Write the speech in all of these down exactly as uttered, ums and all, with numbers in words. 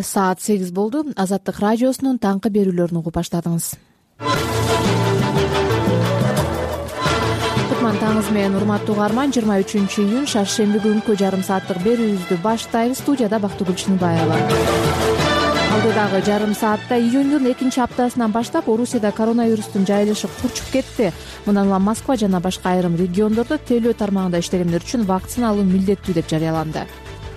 Саат сегиз болду. Азаттык радиосунун таңкы берүүлөрүн угуп баштадыңыз. Кутман таңыңыз менен, урматтуу угарман. жыйырма үчүнчү июнь шаршемби күнкү жарым сааттык берүүбүздү баштайбыз. Студияда Бактыгүл Чыныбаева. Алдыдагы жарым саатта июндун экинчи аптасынан баштап Орусияда коронавирустун жайылышы курчуп кетти. Мындан улам Москва жана башка айрым региондордо телөө тармагында иштегендер үчүн вакцина алуу милдеттүү деп жарыяланды.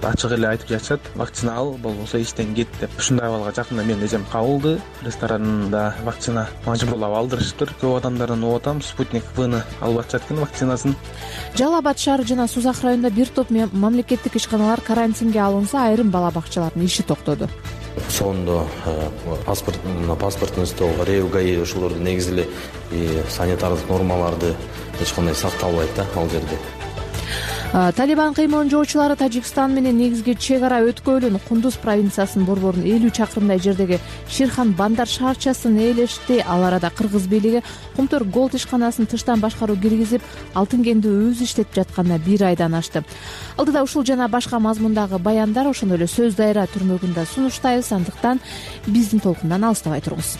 Ачык эле айтып жатышат, вакцина ал, болбосо иштен кет деп. Ушундай абалга жакында менин эжем кабылды. Ресторанда вакцина мажбурлап алдырышыптыр. Көп адамдардан угуп атам, Спутник Вны алып атышат экен вакцинасын. Жалал Абад шаары жана Сузак районунда бир топ мамлекеттик ишканалар карантинге алынса, айрым бала бакчалардын иши токтоду. Сондо паспорт паспортун стол, РЭУ, ГАИ ошолорду негизи эле санитардык нормаларды эч кандай сакталбайт да ал жерде. Талибан кыймылын жоочулары Тажикстан менен негизги чек ара өткөлүн Кундуз провинциясынын борборун элүү чакырымдай жердеги Ширхан Бандар шаарчасын ээлешти. Ал арада кыргыз бийлиги Кумтөр Голд ишканасын тыштан башкаруу киргизип, алтын кенди өзү иштетип жатканына бир айдан ашты. Алдыда ушул жана башка мазмундагы баяндар, ошондой эле сөз дайра түрмөгүндө сунуштайбыз. Андыктан биздин толкундан алыстабай туруңуз.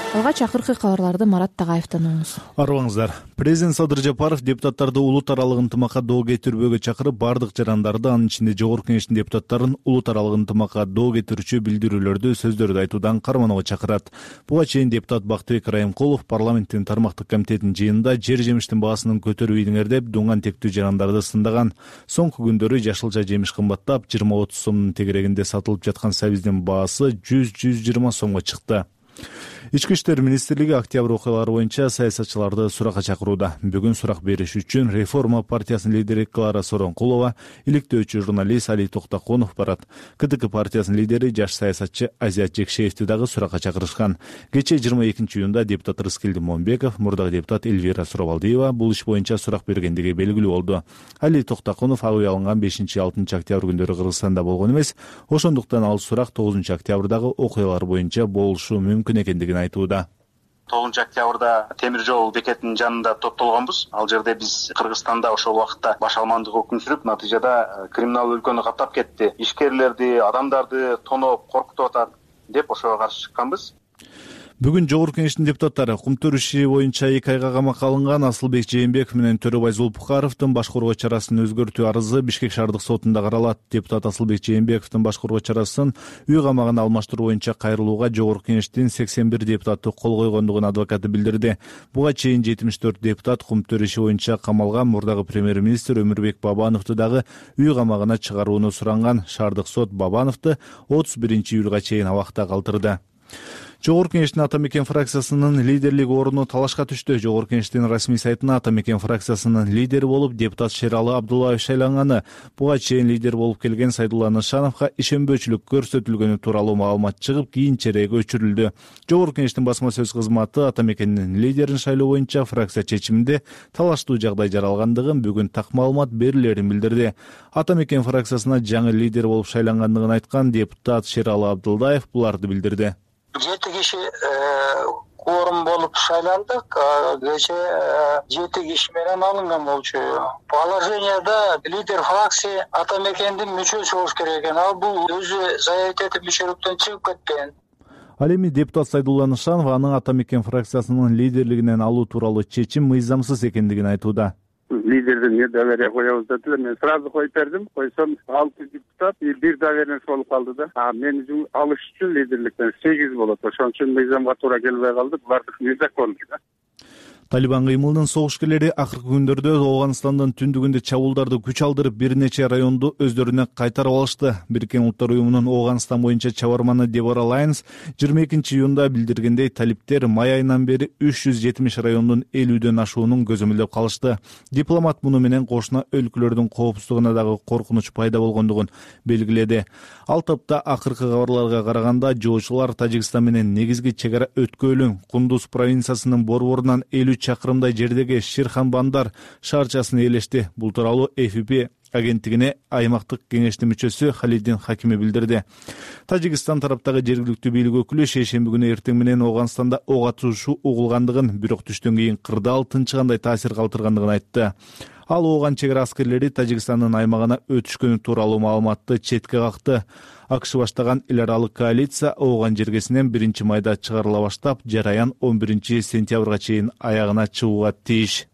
Алгач акыркы кабарларды Марат Тагаевден угуңуз. Арыбаңыздар. Президент Садыр Жапаров депутаттарды улут аралык ынтымакка доо кетирүүгө чакырып, бардык жарандарды, анын ичинде Жогорку Кеңештин депутаттарын улут аралык ынтымакка доо кетирүүчү билдирүүлөрдү, сөздөрдү айтуудан карманууга чакырат. Буга чейин депутат Бактыбек Райымкулов парламенттин тармактык комитетинин жыйынында жер жемиштин баасын көтөрүп ийдиңер деп дуңган тектүү жарандарды сындаган. Соңку күндөрү жашылча жемиш кымбаттап, жыйырма отуз сомдун тегерегинде сатылып жаткан сабиздин баасы жүз жүз жыйырма сомго чыкты. Ички иштер министрлиги октябрь окуялары боюнча саясатчыларды суракка чакырууда. Бүгүн сурак бериш үчүн Реформа партиясынын лидери Клара Сооронкулова, иликтөөчү журналист Али Токтоконов барат. КДК партиясынын лидери жаш саясатчы Азият Жекшеевди дагы суракка чакырышкан. Кечээ жыйырма экинчи июнда депутат Рыскелди Момбеков, мурдагы депутат Эльвира Суробалдиева бул иш боюнча сурак бергендиги белгилүү болду. Али Токтоконов ак үй алынган бешинчи алтынчы октябрь күндөрү Кыргызстанда болгон эмес, ошондуктан ал сурак тогузунчу октябрдагы окуялар боюнча болушу мүмкүн экендигин айтууда. тогузунчу октябрда темир жол бекетинин жанында топтолгонбуз. Ал жерде биз Кыргызстанда ошол убакытта баш алмандык өкүм сүрүп, натыйжада криминал өлкөнү каптап кетти, ишкерлерди, адамдарды тоноп, коркутуп атат деп ошого каршы чыкканбыз. Бүгүн Жогорку Кеңештин депутаттары кумтөр иши боюнча эки айга камакка алынган Асылбек Жээнбеков менен Төрөбай Зулпукаровдун баш коргоо чарасын өзгөртүү арызы Бишкек шаардык сотунда каралат. Депутат Асылбек Жээнбековдун баш коргоо чарасын үй камагына алмаштыруу боюнча кайрылууга Жогорку Кеңештин сексен бир депутаты кол койгондугун адвокаты билдирди. Буга чейин жетимиш төрт депутат кумтөр иши боюнча камалган мурдагы премьер-министр Өмүрбек Бабановду дагы үй камагына чыгарууну суранган. Шаардык сот Бабановду отуз биринчи июлга чейин абакта калтырды. Жогорку Кеңештин Ата Мекен фракциясынын лидерлик ордуну талашка түштү. Жогорку Кеңештин расмий сайтына Ата Мекен фракциясынын лидери болуп депутат Шералы Абдуллаев шайланганы. Буга чейин лидер болуп келген Сайдулла Нышановго ишенбөөчүлүк көрсөтүлгөнү тууралуу маалымат чыгып, кийинчерээк өчүрүлдү. Жогорку Кеңештин басма сөз кызматы Ата Мекендин лидерин шайлоо боюнча фракция чечиминде талаштуу жагдай жаралгандыгын, бүгүн так маалымат берилерин билдирди. Ата Мекен фракциясына жаңы лидер болуп шайлангандыгын айткан депутат Шералы Абдуллаев буларды билдирди. Жети киши кворум болуп шайландык. Кечээ жети киши менен алынган болчу. Положенияда лидер фракция Ата Мекендин мүчөсү болуш керек экен. Ал бул өзү заявить этип мүчөлүктөн чыгып кеткен. Ал эми депутат Сайдулла Нышанов анын Ата Мекен фракциясынын лидерлигинен алуу тууралуу чечим мыйзамсыз экендигин айтууда. Лидерден не доверие коебуз дедилер. Мен сразу коюп бердим. Койсом алты депутат бир доверенность болуп калды да. А мен алыш үчүн лидерликтен сегиз болот. Ошон үчүн мыйзамга туура келбей калды. Бардык незаконный да. Талибан кыймылынын согушкерлери акыркы күндөрдө Ооганстандын түндүгүндө чабуулдарды күч алдырып, бир нече районду өздөрүнө кайтарып алышты. Бириккен Улуттар уюмунун Ооганстан боюнча чабарманы Дебора Лайнс жыйырма экинчи июнда билдиргендей, талиптер май айынан бери үч жүз жетимиш райондун элүүдөн ашуунун көзөмөлдөп калышты. Дипломат муну менен кошуна өлкөлөрдүн коопсуздугуна дагы коркунуч пайда болгондугун белгиледи. Ал топто акыркы кабарларга караганда жоочулар Тажикстан менен негизги чек ара өткөлүн Кундуз провинциясынын борборунан элүү чакырымдай жердеги Ширхан Бандар шаарчасын ээлешти. Бул тууралуу эф пи агенттигине аймактык кеңештин мүчөсү Халидин Хакими билдирди. Тажикстан тараптагы жергиликтүү бийлик өкүлү шейшемби күнү эртең менен Ооганстанда ок атышуу угулгандыгын, бирок түштөн кийин кырдаал тынчыгандай таасир калтыргандыгын айтты. Ал Ооган чек ара аскерлери Тажикстандын аймагына өтүшкөнү тууралуу маалыматты четке какты. АКШ баштаган эл аралык коалиция Ооган жергесинен биринчи майда чыгарыла баштап, жараян он биринчи сентябрга чейин аягына чыгууга тийиш.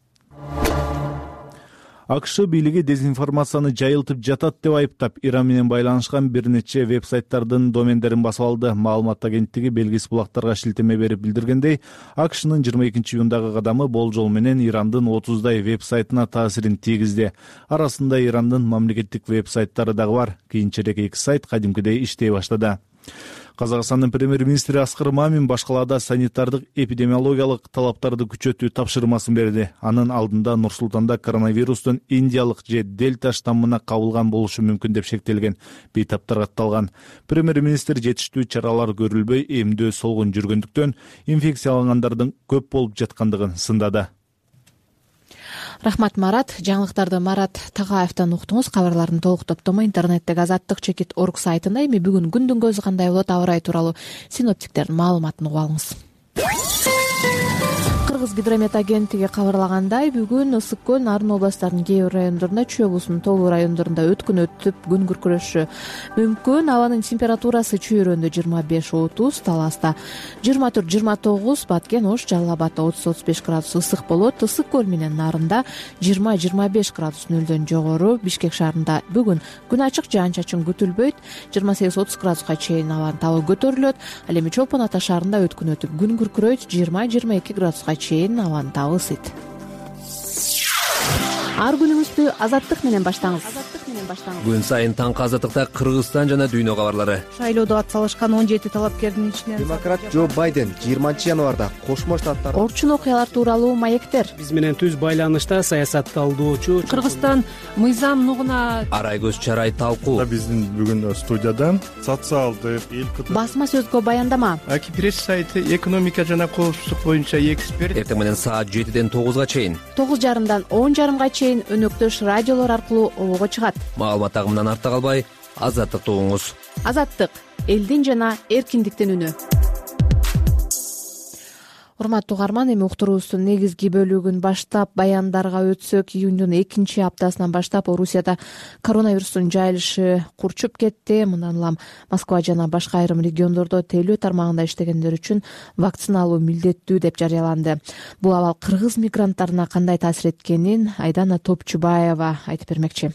АКШ бийлиги дезинформацияны жайылтып жатат деп айыптап, Иран менен байланышкан бир нече веб-сайттардын домендерин басып алды. Маалымат агенттиги белгисиз булактарга шилтеме берип билдиргендей, АКШнын жыйырма экинчи июндагы кадамы болжол менен Ирандын отуздай веб-сайтына таасирин тийгизди. Арасында Ирандын мамлекеттик веб-сайттары дагы бар. Кийинчерээк эки сайт кадимкидей иштей баштады. Казакстандын премьер-министри Аскар Мамин башкалаада санитардык эпидемиологиялык талаптарды күчөтүү тапшырмасын берди. Анын алдында Нур-Султанда коронавирустун индиялык же дельта штаммына кабылган болушу мүмкүн деп шектелген. Бейтаптар катталган. Премьер-министр жетиштүү чаралар көрүлбөй, эмдөө солгун жүргөндүктөн инфекциялангандардын көп болуп жаткандыгын сындады. Рахмат, Марат. Жаңылыктарды Марат Тагаевден уктуңуз. Кабарлардын толук топтому интернеттеги азаттык чекит орг сайтында. Эми бүгүн күндүн көзү кандай болот, аба ырайы тууралуу синоптиктердин маалыматын угуп алыңыз. Кыргыз гидромет агенттиги кабарлагандай, бүгүн ысык көл, Нарын областарынын кээ бир райондорунда, Чүй облусунун Тоолуу райондорунда өткүн өтүп, күн күркүрөшү мүмкүн. Абанын температурасы Чүй районунда жыйырма беш отуз, Таласта жыйырма төрт жыйырма тогуз, Баткен, Ош, Жалал абадда отуз отуз беш градус ысык болот. Ысык көл менен Нарында жыйырма жыйырма беш градус нөлдөн жогору. Бишкек шаарында бүгүн күн ачык, жаан-чачын күтүлбөйт. жыйырма сегиз отуз градуска чейин абанын табы көтөрүлөт. Ал эми Чолпон Ата шаарында өткүн өтүп, күн күркүрөйт. жыйырма жыйырма эки градуска чейин абанын табы ысыйт. Ар күнүңүздү азаттык менен баштаңыз. Күн сайын таңкы азаттыкта Кыргызстан жана дүйнө кабарлары. Шайлоодо ат салышкан он жети талапкердин ичинен демократ Джо Байден жыйырманчы январда Кошмо Штаттар Орчун окуялар тууралуу маектер. Биз менен түз байланышта саясатталуучу Кыргызстан мыйзам нугуна Арай көз чарай талкуу. Биздин бүгүн студиядан социалдык эл басма сөзгө баяндама. Аки пресс сайты экономика жана коопсуздук боюнча эксперт. Эртең менен саат жетиден тогузга чейин, тогуз жарымдан он жарымга чейин өнөктөш радиолор аркылуу обого чыгат. Маалымат агымынан артта калбай, азаттыкты угуңуз. Азаттык — элдин жана эркиндиктин үнү. Урматтуу угарман, эми уктуруубуздун негизги бөлүгүн баштап баяндарга өтсөк, июндун экинчи аптасынан баштап Орусияда коронавирустун жайылышы курчуп кетти. Мындан улам Москва жана башка айрым региондордо тейлөө тармагында иштегендер үчүн вакциналоо милдеттүү деп жарыяланды. Бул абал кыргыз мигранттарына кандай таасир эткенин Айдана Топчубаева айтып бермекчи.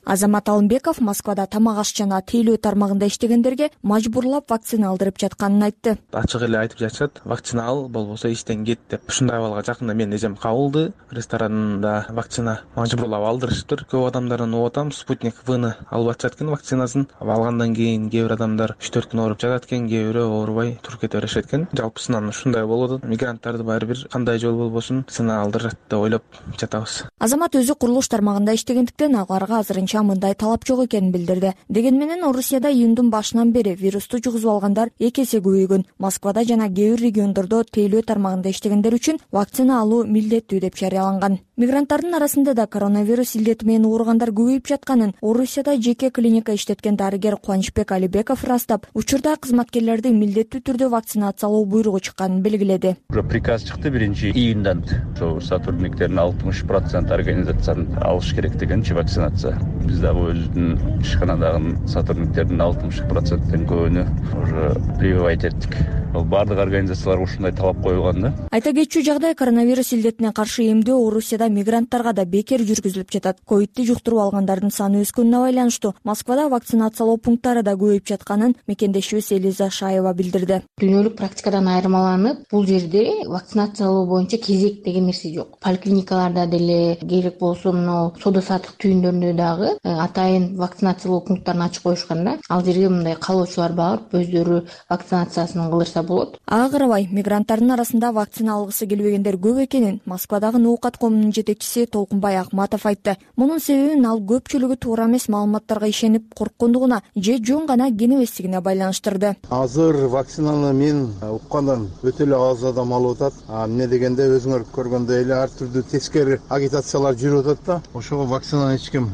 Азамат Алымбеков Москвада тамак аш жана тейлөө тармагында иштегендерге мажбурлап вакцина алдырып жатканын айтты. Ачык эле айтып жатышат, вакцина ал, болбосо иштен кет деп. Ушундай абалга жакында менин эжем кабылды. Ресторанда вакцина мажбурлап алдырышыптыр. Көп адамдарын угуп атам, Спутник В-ны алып атышат экен вакцинасын. Алгандан кийин кээ бир адамдар үч төрт күн ооруп жатат экен, кээ бирөө оорубай туруп кете беришет экен. Жалпысынан ушундай болуп атат. Мигранттарды баары бир кандай жол болбосун вакцина алдырат деп ойлоп жатабыз. Азамат өзү курулуш тармагында иштегендиктен аларга азырынча мындай талап жок экенин билдирди. Дегенменен Орусияда июндун башынан бери вирусту жугузуп алгандар эки эсе көбөйгөн. Москвада жана кээ бир региондордо тейлөө тармагында иштегендер үчүн вакцина алуу милдеттүү деп жарыяланган. Мигранттардын арасында да коронавирус илдети менен ооругандар көбөйүп жатканын Орусияда жеке клиника иштеткен дарыгер Кубанычбек Алибеков ырастап, учурда кызматкерлерди милдеттүү түрдө вакцинациялоо буйругу чыкканын белгиледи. Уже приказ чыкты биринчи июндан. Ошо сотрудниктердин алтымыш процент организацияны алыш керек дегенчи вакцинация. Биз дагы өзүбүздүн ишканадагы сотрудниктердин алтымыш проценттен көбүнө уже прививать эттик. Ал бардык организацияларга ушундай талап коюлган да. Айта кетчү жагдай, коронавирус илдетине каршы эмдөө Орусияда мигранттарга да бекер жүргүзүлүп жатат. Ковидти жуктуруп алгандардын саны өскөнүнө байланыштуу Москвада вакцинациялоо пункттары да көбөйүп жатканын мекендешибиз Элиза Шаева билдирди. Дүйнөлүк практикадан айырмаланып, бул жерде вакцинациялоо боюнча кезек деген нерсе жок. Поликлиникаларда деле керек болсо мына соода саттык түйүндөрүндө дагы атайын вакцинациялоо пункттарын ачып коюшкан да. Ал жерге мындай каалоочулар барып өздөрү вакцинациясын кылдырса болот. Ага карабай, мигранттардын арасында вакцина алгысы келбегендер көп экенин Москвадагы Ноокат коомунун жетекчиси Толкунбай Акматов айтты. Мунун себебин ал көпчүлүгү туура эмес маалыматтарга ишенип корккондугуна же жөн гана кенебестигине байланыштырды. Азыр вакцинаны мен уккандан өтө эле аз адам алып атат. Эмне дегенде өзүңөр көргөндөй эле ар түрдүү тескери агитациялар жүрүп атат да. Ошого вакцинаны эч ким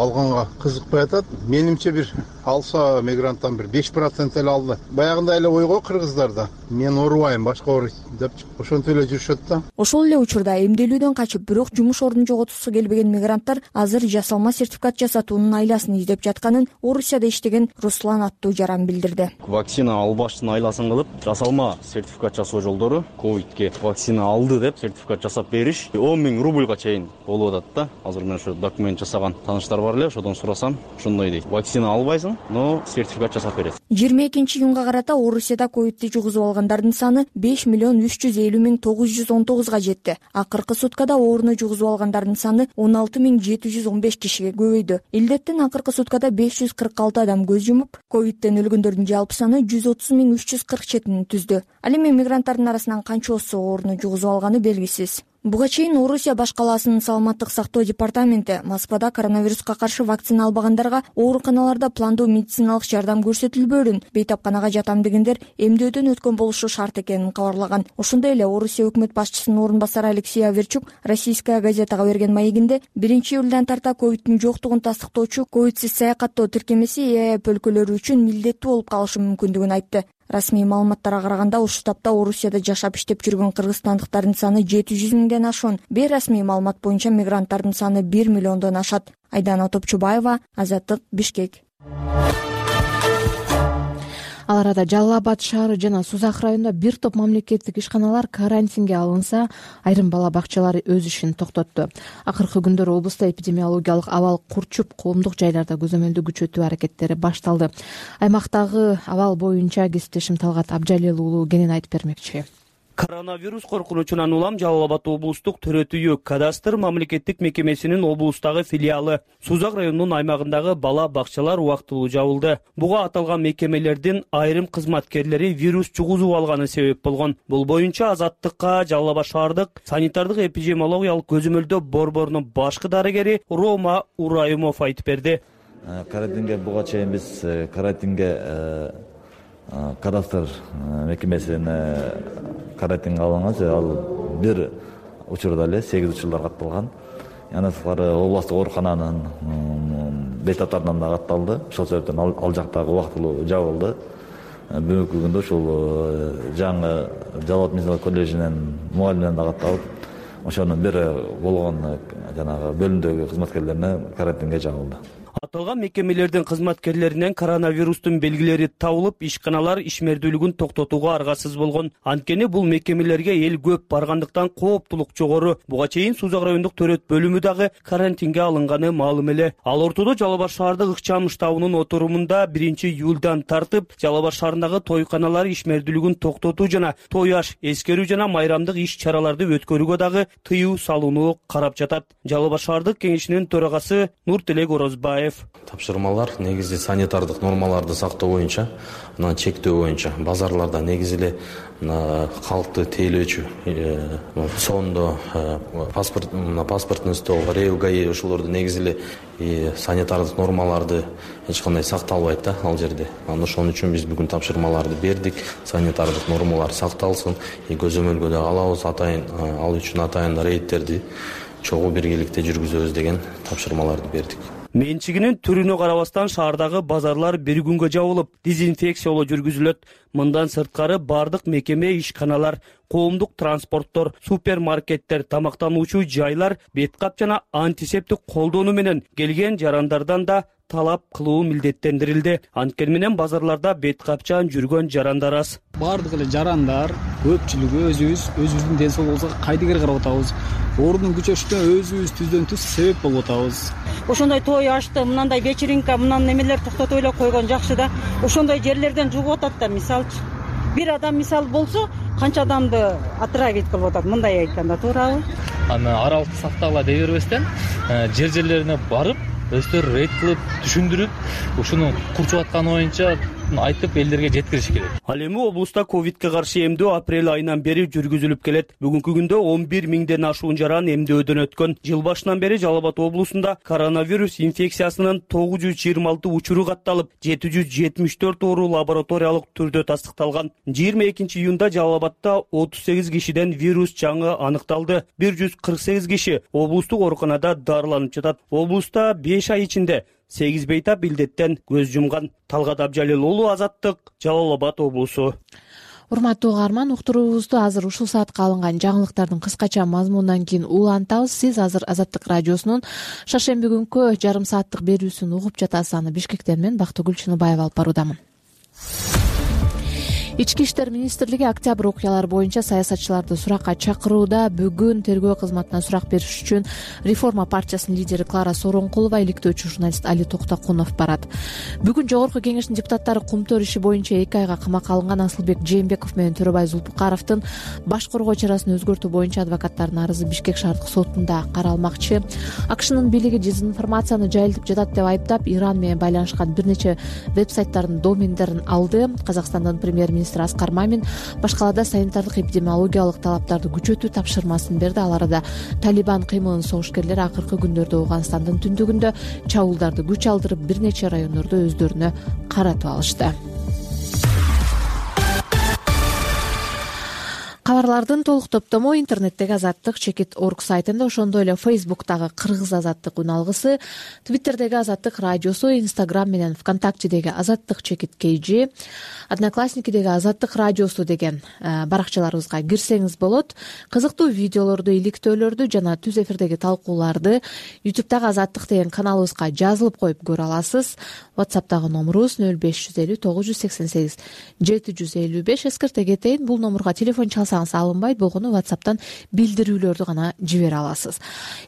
алганга кызыкпай атат. Менимче бир алса мигранттан бир беш процент эле алды. Баягында эле ойго кыргыздарда мен оорубайм, башка ооруйт деп ошентип эле жүрүшөт да. Ошол эле учурда эмделүүдөн качып, бирок жумуш ордун жоготусу келбеген мигранттар азыр жасалма сертификат жасатуунун айласын издеп жатканын Орусияда иштеген Руслан аттуу жаран билдирди. Вакцина албаштын айласын кылып, жасалма сертификат жасоо жолдору ковидке вакцина алды деп сертификат жасап бериш он миң рубльга чейин болуп атат да. Азыр мен ошо документ жасаган тааныштар бар эле, ошодон сурасам, ошондой дейт. Вакцина албайсың, но сертификат жасап берет. жыйырма экинчи июнга карата Орусияда ковидти жугузуп алгандардын саны беш миллион үч жүз элүү миң тогуз жүз он тогузга жетти. Акыркы суткада ооруну жугузуп алгандардын саны он алты миң жети жүз он беш кишиге көбөйдү. Илдеттен акыркы суткада беш жүз кырк алты адам көз жумуп, ковидтен өлгөндөрдүн жалпы саны жүз отуз миң үч жүз кырк жетини түздү. Ал эми мигранттардын арасынан канчоосу ооруну жугузуп алганы белгисиз. Буга чейин Орусия баш калаасынын саламаттык сактоо департаменти Москвада коронавируска каршы вакцина албагандарга ооруканаларда пландуу медициналык жардам көрсөтүлбөөрүн, бейтапканага жатам дегендер эмдөөдөн өткөн болушу шарт экенин кабарлаган. Ошондой эле Орусия өкмөт башчысынын орун басары Алексей Аверчук Российская газетага берген маегинде биринчи июлдан тарта ковидтин жоктугун тастыктоочу ковидсиз саякаттоо тиркемеси ЭАЭП өлкөлөрү үчүн милдеттүү болуп калышы мүмкүндүгүн айтты. Расмий маалыматтарга караганда ушул тапта Орусияда жашап иштеп жүргөн кыргызстандыктардын саны жети жүз миңден ашуун. Бейрасмий маалымат боюнча мигранттардын саны бир миллиондон ашат. Айдана Топчубаева, Азаттык, Бишкек. Ал арада Жалал Абад шаары жана Сузак районунда бир топ мамлекеттик ишканалар карантинге алынса, айрым бала бакчалары өз ишин токтотту. Акыркы күндөр облуста эпидемиологиялык абал курчуп, коомдук жайларда көзөмөлдү күчөтүү аракеттери башталды. Аймактагы абал боюнча кесиптешим Талгат Абжалил уулу кенен айтып бермекчи. Коронавирус коркунучунан улам Жалал Абад облустук төрөтүйү кадастр мамлекеттик мекемесинин облустагы филиалы Сузак районунун аймагындагы бала бакчалар убактылуу жабылды. Буга аталган мекемелердин айрым кызматкерлери вирус жугузуп алганы себеп болгон. Бул боюнча Азаттыкка Жалал Абад шаардык санитардык эпидемиологиялык көзөмөлдөө борборунун башкы дарыгери Рома Урайымов айтып берди. Карантинге буга чейин биз карантинге кадастр мекемесине карантинге алынган, ал бир учурда эле сегиз учурлар катталган. Андан сырткары областтык оорукананын бейтаптарынан да катталды. Ошол себептен ал жактагы убактылуу жабылды. Бүгүнкү күндө ушул жаңы Жалал Абад медицина коллежинин мугалиминен да катталып, ошонун бир болгон жанагы бөлүмдөгү кызматкерлерине карантинге жабылды. Аталган мекемелердин кызматкерлеринен коронавирустун белгилери табылып, ишканалар ишмердүүлүгүн токтотууга аргасыз болгон. Анткени бул мекемелерге эл көп баргандыктан кооптулук жогору. Буга чейин Сузак райондук төрөт бөлүмү дагы карантинге алынганы маалым эле. Ал ортодо Жалал Абад шаардык ыкчам штабынын отурумунда биринчи июлдан тартып Жалал Абад шаарындагы тойканалар ишмердүүлүгүн токтотуу жана той аш, эскерүү жана майрамдык иш-чараларды өткөрүүгө дагы тыюу салууну карап жатат. Жалал Абад шаардык кеңешинин төрагасы Нуртилек Орозбаев. Тапшырмалар негизи санитардык нормаларды сактоо боюнча, анан чектөө боюнча базарларда негизи эле калкты тейлөөчү сондо паспорт паспортный стол, РЭУ, ГАИ ошолорду негизи эле санитардык нормаларды эч кандай сакталбайт да ал жерде. Анан ошон үчүн биз бүгүн тапшырмаларды бердик. Санитардык нормалар сакталсын, көзөмөлгө да алабыз, атайын ал үчүн атайын рейдтерди чогуу биргеликте жүргүзөбүз деген тапшырмаларды бердик. Менчигинин түрүнө карабастан шаардагы базарлар бир күнгө жабылып, дезинфекциялоо жүргүзүлөт. Мындан сырткары бардык мекеме, ишканалар, коомдук транспорттор, супермаркеттер, тамактануучу жайлар беткап жана антисептик колдонуу менен келген жарандардан да талап кылуу милдеттендирилди. Анткени менен базарларда беткапчан жүргөн жарандар аз. Бардык эле жарандар көпчүлүгү өзүбүз өзүбүздүн ден соолугубузга кайдыгер карап атабыз. Оорунун күчөшүнө өзүбүз түздөн түз себеп болуп атабыз. Ошондой той ашты, мындай вечеринка, мындан немелер токтотуп эле койгон жакшы да. Ошондой жерлерден жугуп атат да, мисалчы. Бир адам мисал болсо, канча адамды отравить кылып атат, мындай айтканда туурабы? Аны аралыкты сактагыла дей бербестен, жер-жерлерине барып, өздөрү рейд кылып, түшүндүрүп, ушуну курчуп атканы боюнча маалыматын айтып элдерге жеткириш керек. Ал эми облуста ковидке каршы эмдөө апрель айынан бери жүргүзүлүп келет. Бүгүнкү күндө он бир миңден ашуун жаран эмдөөдөн өткөн. Жыл башынан бери Жалал Абад облусунда коронавирус инфекциясынын тогуз жүз жыйырма алты учуру катталып, жети жүз жетимиш төрт оору лабораториялык түрдө тастыкталган. жыйырма экинчи июнда Жалал Абадда отуз сегиз кишиден вирус жаңы аныкталды. бир жүз кырк сегиз киши облустук ооруканада дарыланып жатат. Облуста беш ай ичинде сегиз бейтап илдеттен көз жумган. Талгат Абжалил уулу, Азаттык, Жалал Абад облусу. Урматтуу угарман, уктуруубузду азыр ушул саатка алынган жаңылыктардын кыскача мазмунунан кийин улантабыз. Сиз азыр Азаттык радиосунун шаршемби күнкү жарым сааттык берүүсүн угуп жатасыз. Аны Бишкектен мен Бактыгүл Чыныбаева алып баруудамын. Ички иштер министрлиги октябрь окуялары боюнча саясатчыларды суракка чакырууда. Бүгүн тергөө кызматына сурак бериш үчүн Реформа партиясынын лидери Клара Сооронкулова, иликтөөчү журналист Али Токтокунов барат. Бүгүн жогорку кеңештин депутаттары кумтөр иши боюнча эки айга камакка алынган Асылбек Жээнбеков менен Төрөбай Зулпукаровдун баш коргоо чарасын өзгөртүү боюнча адвокаттардын арызы Бишкек шаардык сотунда каралмакчы. АКШнын бийлиги дезинформацияны жайылтып жатат деп айыптап, Иран менен байланышкан бир нече вебсайттардын домендерин алды. Казакстандын премьер-министри Аскар Мамин башкалада санитардык эпидемиологиялык талаптарды күчөтүү тапшырмасын берди. Ал арада Талибан кыймылынын согушкерлери акыркы күндөрдө Ооганстандын түндүгүндө чабуулдарды күч алдырып, бир нече райондордо өздөрүнө каратып алышты. Кабарлардын толук топтому интернеттеги азаттык чекит точка орг сайтында, ошондой эле Фейсбуктагы Кыргыз азаттык үналгысы, Твиттердеги Азаттык радиосу, Инстаграм менен ВКонтактедеги Азаттык чекит kg, Одноклассникидеги Азаттык радиосу деген баракчаларыбызга кирсеңиз болот. Кызыктуу видеолорду, иликтөөлөрдү жана түз эфирдеги талкууларды ютубтагы Азаттык деген каналыбызга жазылып коюп көрө аласыз. WhatsApp'тагы номурубуз нөл беш жүз элүү тогуз жүз сексен сегиз жети жүз элүү беш. Эскерте кетейин, бул номурга телефон чалсаңыз алынбайт, болгону WhatsApp'тан билдирүүлөрдү гана жибере аласыз.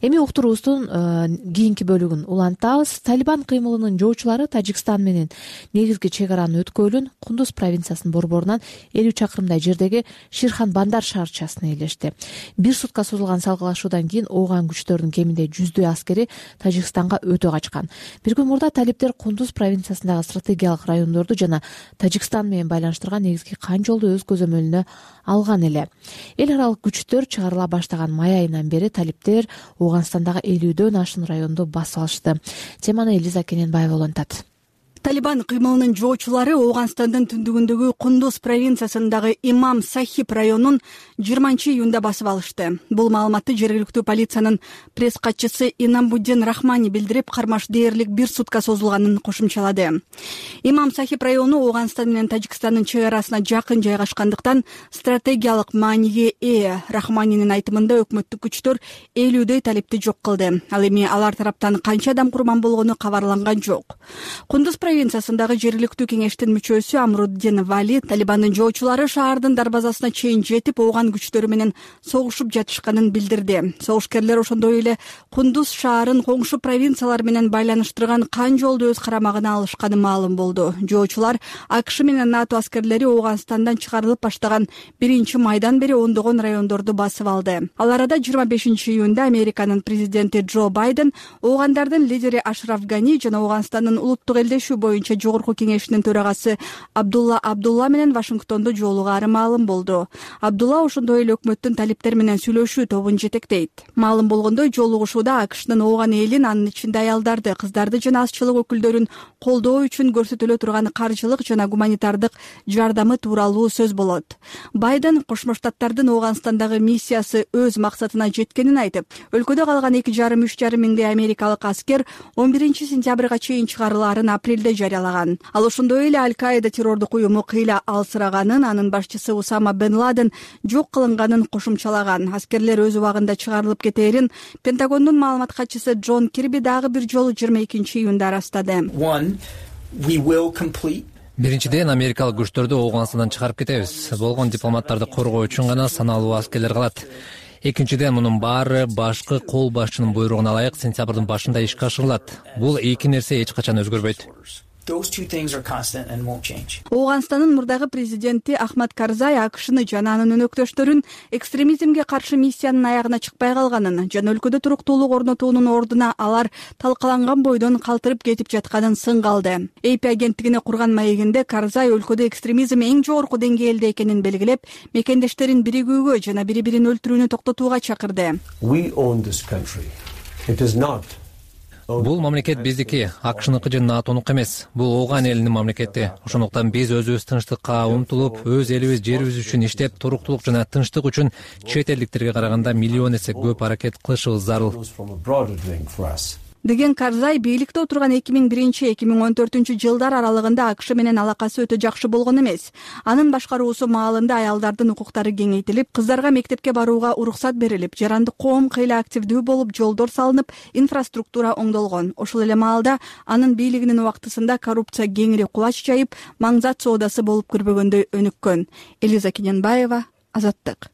Эми уктуруубуздун кийинки бөлүгүн улантабыз. Талибан кыймылынын жоочулары Тажикстан менен негизги чек араны өткөөлүн Кундуз провинциясынын борборунан элүү чакырымдай жердеги Ширхан Бандар шаарчасына ээлешти. Бир сутка созулган салгылашуудан кийин ооган күчтөрдүн кеминде жүздөй аскери Тажикстанга өтө качкан. Бир күн мурда талиптер Кундуз провинциясындагы стратегиялык райондорду жана Тажикстан менен байланыштырган негизги кан жолду өз көзөмөлүнө алган эле. Эл аралык күчтөр чыгарыла баштаган май айынан бери талиптер Ооганстандагы элүүдөн ашуун районду басып алышты. Теманы Элиза Кененбаева улантат. Талибан кыймылынын жоочулары Ооганстандын түндүгүндөгү Кундуз провинциясындагы Имам Сахиб районун жыйырманчы июнда басып алышты. Бул маалыматты жергиликтүү полициянын пресс катчысы Инамбуддин Рахмани билдирип, кармаш дээрлик бир сутка созулганын кошумчалады. Имам Сахиб району Ооганстан менен Тажикстандын чек арасына жакын жайгашкандыктан стратегиялык мааниге ээ. Рахманинин айтымында өкмөттүк күчтөр элүүдөй талипти жок кылды. Ал эми алар тараптан канча адам курман болгону кабарланган жок. Кундуз провинциясындагы жергиликтүү кеңештин мүчөсү Амруддин Вали Талибандын жоочулары шаардын дарбазасына чейин жетип, ооган күчтөрү менен согушуп жатышканын билдирди. Согушкерлер ошондой эле Кундуз шаарын коңшу провинциялар менен байланыштырган кан жолду өз карамагына алышканы маалым болду. Жоочулар АКШ менен НАТО аскерлери Ооганстандан чыгарылып баштаган биринчи майдан бери ондогон райондорду басып алды. Ал арада жыйырма бешинчи июнда Американын президенти Джо Байден, оогандардын лидери Ашраф Гани жана Ооганстандын улуттук элдешүү боюнча жогорку кеңешинин төрагасы Абдулла Абдулла менен Вашингтондо жолугаары маалым болду. Абдулла ошондой эле өкмөттүн талиптер менен сүйлөшүү тобун жетектейт. Маалым болгондой, жолугушууда АКШнын ооган элин, анын ичинде аялдарды, кыздарды жана азчылык өкүлдөрүн колдоо үчүн көрсөтүлө турган каржылык жана гуманитардык жардамы тууралуу сөз болот. Байден Кошмо Штаттардын Ооганстандагы миссиясы өз максатына жеткенин айтып, өлкөдө калган эки жарым үч жарым миңдей америкалык аскер он биринчи сентябрга чейин чыгарылаарын апрелде жарыялаган. Ал ошондой эле Аль-Каида террордук уюму кыйла алсыраганын, анын башчысы Усама бен Ладен жок кылынганын кошумчалаган. Аскерлер өз убагында чыгарылып кетээрин Пентагондун маалымат катчысы Джон Кирби дагы бир жолу жыйырма экинчи июнда ырастады. Биринчиден, америкалык күчтөрдү Ооганстандан чыгарып кетебиз. Болгон дипломаттарды коргоо үчүн гана саналуу аскерлер калат. Экинчиден, мунун баары башкы кол башчынын буйругуна ылайык сентябрдын башында ишке ашырылат. Бул эки нерсе эч качан өзгөрбөйт. Ооганстандын мурдагы президенти Ахмад Карзай АКШны жана анын өнөктөштөрүн экстремизмге каршы миссиянын аягына чыкпай калганын жана өлкөдө туруктуулук орнотуунун ордуна алар талкаланган бойдон калтырып кетип жатканын сынга алды. эй пи агенттигине курган маегинде Карзай өлкөдө экстремизм эң жогорку деңгээлде экенин белгилеп, мекендештерин биригүүгө жана бири бирин өлтүрүүнү токтотууга чакырды. Бул мамлекет биздики, АКШныкы же натонуку эмес. Бул ооган элинин мамлекети. Ошондуктан биз өзүбүз тынчтыкка умтулуп, өз элибиз, жерибиз үчүн иштеп, туруктуулук жана тынчтык үчүн чет элдиктерге караганда миллион эсе көп аракет кылышыбыз зарыл. Деген Карзай бийликте отурган эки миң биринчи эки миң он төртүнчү жылдар аралыгында АКШ менен алакасы өтө жакшы болгон эмес. Анын башкаруусу маалында аялдардын укуктары кеңейтилип, кыздарга мектепке барууга уруксат берилип, жарандык коом кыйла активдүү болуп, жолдор салынып, инфраструктура оңдолгон. Ошол эле маалда анын бийлигинин убактысында коррупция кеңири кулач жайып, маңзат соодасы болуп көрбөгөндөй өнүккөн. Элиза Кененбаева, Азаттык.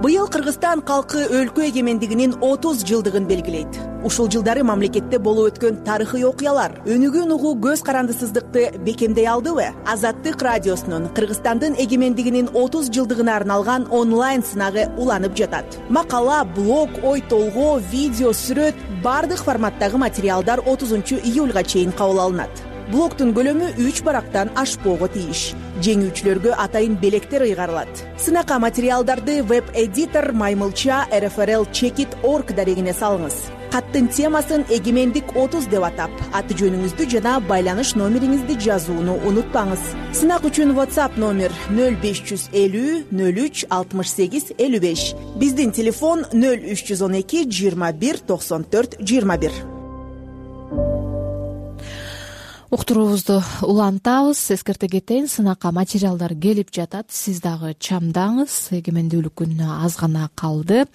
Быйыл Кыргызстан калкы өлкө эгемендигинин отуз жылдыгын белгилейт. Ушул жылдары мамлекетте болуп өткөн тарыхый окуялар өнүгүүнү угуу көз карандысыздыкты бекемдей алдыбы? Азаттык радиосунун Кыргызстандын эгемендигинин отуз жылдыгына арналган онлайн сынагы уланып жатат. Макала, блог, ой толгоо, видео, сүрөт бардык форматтагы материалдар отузунчу июлга чейин кабыл алынат. Блогтун көлөмү үч барактан ашпоого тийиш. Жеңүүчүлөргө атайын белектер ыйгарылат. Сынакка материалдарды веб-эдитор Маймылча эр эф эр эл чекит точка орг дарегине салыңыз. Каттын темасын эгемендик отуз деп атап, аты жөнүңүздү жана байланыш номериңизди жазууну унутпаңыз. Сынак үчүн WhatsApp номер нөл беш жүз элүү нөл үч алтымыш сегиз элүү беш. Биздин телефон нөл үч жүз он эки жыйырма бир токсон төрт жыйырма бир. Уктуруубузду улантабыз. Эскерте кетейин, сынакка материалдар келип жатат. Сиз дагы чамдаңыз. Эгемендүүлүк күнүнө аз гана калды.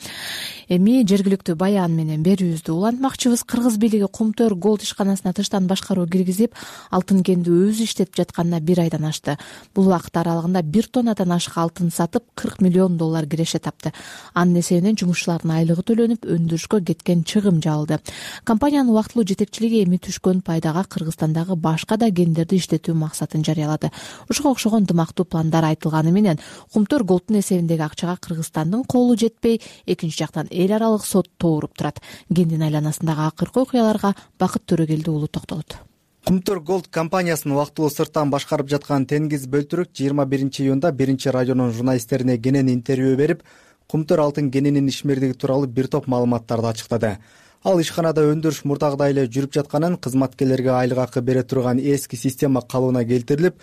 Эми жергиликтүү баян менен берүүбүздү улантмакчыбыз. Кыргыз бийлиги Кумтөр голд ишканасына тыштан башкаруу киргизип, алтын кенди өзү иштетип жатканына бир айдан ашты. Бул убакыт аралыгында бир тоннадан ашык алтын сатып, кырк миллион доллар киреше тапты. Анын эсебинен жумушчулардын айлыгы төлөнүп, өндүрүшкө кеткен чыгым жабылды. Компаниянын убактылуу жетекчилиги эми түшкөн пайдага Кыргызстандагы башка да кендерди иштетүү максатын жарыялады. Ушуга окшогон дымактуу пландар айтылганы менен Кумтөр голдтун эсебиндеги акчага Кыргызстандын колу жетпей, экинчи жактан эл аралык сот тооруп турат. Кендин айланасындагы акыркы окуяларга Бакыт Төрөгелди уулу токтолот. Кумтөр голд компаниясын убактылуу сырттан башкарып жаткан Тенгиз Бөлтүрүк жыйырма биринчи июнда биринчи радионун журналисттерине кенен интервью берип, Кумтөр алтын кенинин ишмердиги тууралуу бир топ маалыматтарды ачыктады. Ал ишканада өндүрүш мурдагыдай эле жүрүп жатканын, кызматкерлерге айлык акы бере турган эски система калыбына келтирилип,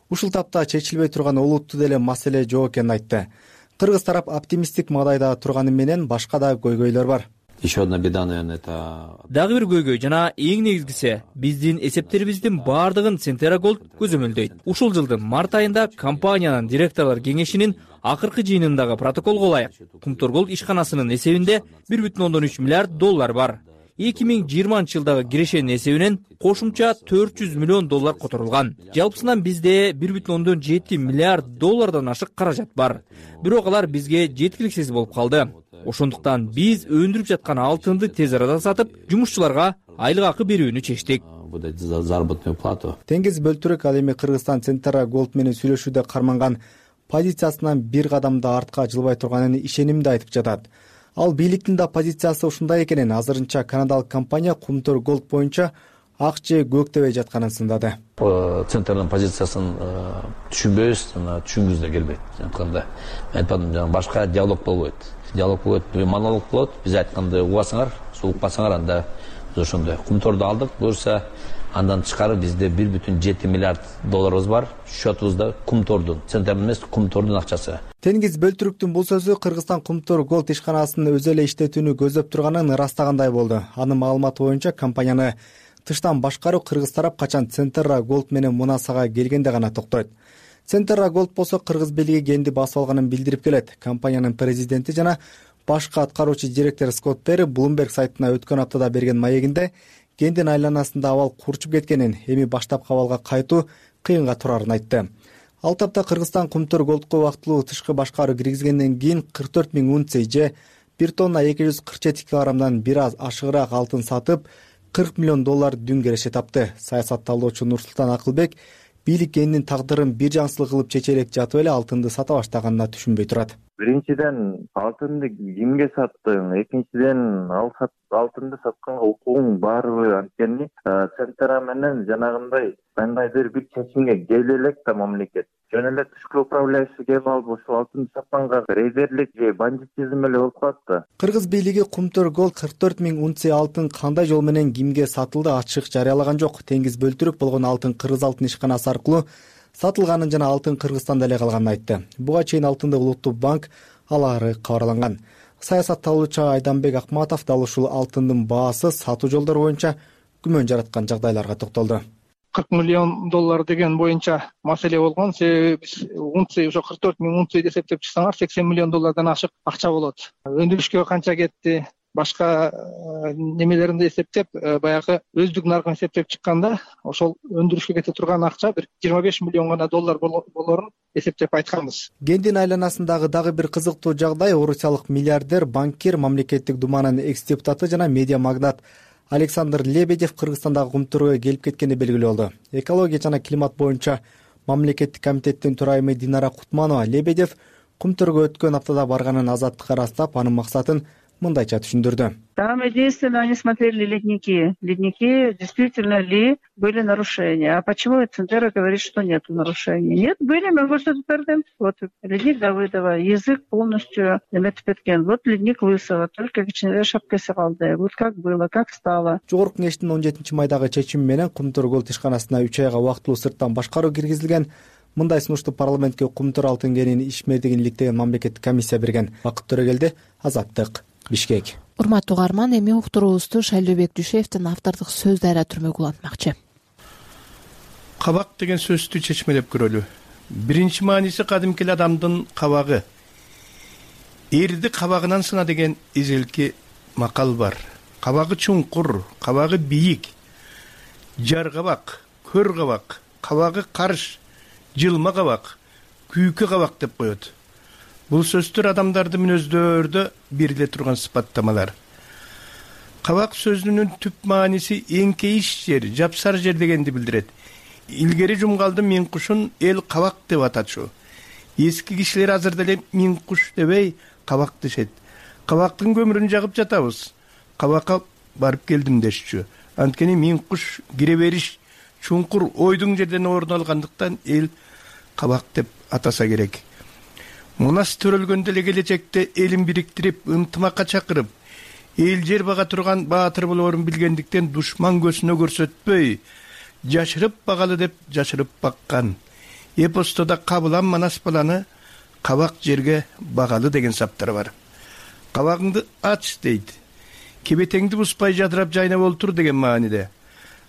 ушул тапта чечилбей турган олуттуу деле маселе жок экенин айтты. Кыргыз тарап оптимисттик маалайда турганы менен башка да көйгөйлөр бар. Еще одна беда, наверное, это... Дагы бир көйгөй жана эң негизгиси биздин эсептерибиздин баардыгын Центера Голд көзөмөлдөйт. Ушул жылдын март айында компаниянын директорлор кеңешинин акыркы жыйынындагы протоколго ылайык Кумтөр голд ишканасынын эсебинде бир бүтүн ондон үч миллиард доллар бар. эки миң жыйырманчы жылдагы кирешенин эсебинен кошумча төрт жүз миллион доллар которулган. Жалпысынан бизде бир бүтүн ондон жети миллиард доллардан ашык каражат бар. Бирок алар бизге жеткиликсиз болуп калды. Ошондуктан биз өндүрүп жаткан алтынды тез арада сатып, жумушчуларга айлык акы берүүнү чечтик. За заработную плату. Тенгиз Бөлтүрүк ал эми Кыргызстан Центера Голд менен сүйлөшүүдө карманган позициясынан бир кадам да артка жылбай турганын ишенимде айтып жатат. Ал бийликтин да позициясы ушундай экенин, азырынча канадалык компания Кумтөр голд боюнча ак же көк дебей жатканын сындады. Центрдин позициясын түшүнбөйбүз, жана түшүнгүбүз да келбейт. Антканда мен айтпадым, жана башка диалог болбойт. Диалог болот, монолог болот. Биз айтканды угасаңар, сулукпасаңар, анда биз ошондой Кумторду алдык. Буюрса андан тышкары бизде бир бүтүн жети миллиард долларыбыз бар. Счетубузда Кумтордун, Центрдин эмес, Кумтордун акчасы. Тенгиз Бөлтүрүктүн бул сөзү Кыргызстан Кумтөр голд ишканасын өзү эле иштетүүнү көздөп турганын ырастагандай болду. Анын маалыматы боюнча компанияны тыштан башкаруу Кыргыз тарап качан Центера голд менен мунасага келгенде гана токтойт. Центера голд болсо Кыргыз бийлиги кенди басып алганын билдирип келет. Компаниянын президенти жана башкы аткаруучу директор Скотт Перри Bloomberg сайтына өткөн аптада берген маегинде кендин айланасында абал курчуп кеткенин, эми баштапкы абалга кайтуу кыйынга турарын айтты. Ал тапта Кыргызстан Кумтөр голдко убактылуу тышкы башкаруу киргизгенден кийин кырк төрт миң унция же бир тонна эки жүз кырк жети килограммдан бир аз ашыгыраак алтын сатып, кырк миллион доллар дүң кереше тапты. Саясатталоочу Нурсултан Акылбек бийлик элинин тагдырын бир жансылык кылып чече элек жатып эле алтынды сата баштаганына түшүнбөй турат. Биринчиден алтынды кимге саттың, экинчиден ал алтынды сатканга укугуң барбы? Анткени Центра менен жанагындай кандайдыр бир чечимге келе элек да мамлекет жөн эле тышкы управляющий келип алып ошол алтынды сатканга резервдик же бандитизм эле болуп калат да. Кыргыз бийлиги Кумтөр Голд кырк төрт миң унция алтын кандай жол менен кимге сатылды ачык жарыялаган жок. Теңиз бөлтүрүк болгон алтын Кыргыз алтын ишканасы аркылуу сатылганын жана алтын Кыргызстанда эле калганын айтты. Буга чейин алтынды Улуттук банк алары кабарланган. Саясатталуучу Айданбек Акматов дал ушул алтындын баасы сатуу жолдору боюнча күмөн жараткан жагдайларга токтолду. кырк миллион доллар деген боюнча маселе болгон. Себеби биз унция ошо кырк төрт миң унция эсептеп чыксаңар сексен миллион доллардан ашык акча болот. Өндүрүшкө канча кетти, башка немелеринди эсептеп, баягы өздүк наркын эсептеп чыкканда ошол өндүрүшкө кете турган акча бир жыйырма беш миллион гана доллар болорун эсептеп айтканбыз. Гендин айланасындагы дагы бир кызыктуу жагдай орусиялык миллиардер, банкир, мамлекеттик думанын экс-депутаты жана медиа магнат Александр Лебедев Кыргызстандагы Кумтөргө келип кеткени белгилүү болду. Экология жана климат боюнча мамлекеттик комитеттин төрайымы Динара Кутманова Лебедев Кумтөргө өткөн аптада барганын Азаттыкка ырастап, анын максатын мындайча түшүндүрдү. Там единственное, они смотрели ледники. Ледники, действительно ли были нарушения. А почему Центра говорит, что нет нарушений? Нет, были, мы көрсөтүп бердим. Вот ледник Давыдова, язык полностью эметип кеткен. Вот ледник Лысова, только кичинекей шапкасы калды. Вот как было, как стало. Жогорку кеңештин он жетинчи майдагы чечими менен Кумтөр Голд ишканасына үч айга вактылуу сырттан башкаруу киргизилген. Мындай сунушту парламентке Кумтөр алтын кенинин ишмердигин иликтеген мамлекеттик комиссия берген. Бакыт Төрөгелди, Азаттык, Бишкек. Урматтуу угарман, эми уктуруубузду Шайлообек Дүйшеевдин автордук сөздөрү түрмөк улантмакчы. Кабак деген сөздү чечмелеп көрөлү. Биринчи мааниси кадимки адамдын кабагы. Эрди кабагынан сына деген эзелки макал бар. Кабагы чуңкур, кабагы бийик, жар кабак, көр кабак, кабагы карыш, жылма кабак, күйкү кабак деп коет. Бул сөздөр адамдардын мүнөздөрдө бериле турган сыпаттамалар. Кабак сөзүнүн түп мааниси эңкейиш жер, жапсар жер дегенди билдирет. Илгери жумгалды миң кушун эл кабак деп атачу. Эски кишилер азыр деле миң куш дебей кабак дешет. Кабактын көмүрүн жагып жатабыз. Кабакка барып келдим дешчү. Анткени миң куш кире бериш чуңкур ойдуң жерден орун алгандыктан эл кабак деп атаса керек. Мунас төрөлгөндө эле келечекте элин бириктирип, ынтымакка чакырып, эл жер бага турган баатыр болоорун билгендиктен душман көзүнө көрсөтпөй, жашырып багалы деп жашырып баккан. Эпосто да Кабылан Манас баланы кабак жерге багалы деген саптар бар. Кабагыңды ач дейт. Кебетеңди буспай жадырап жайнап олтур деген мааниде.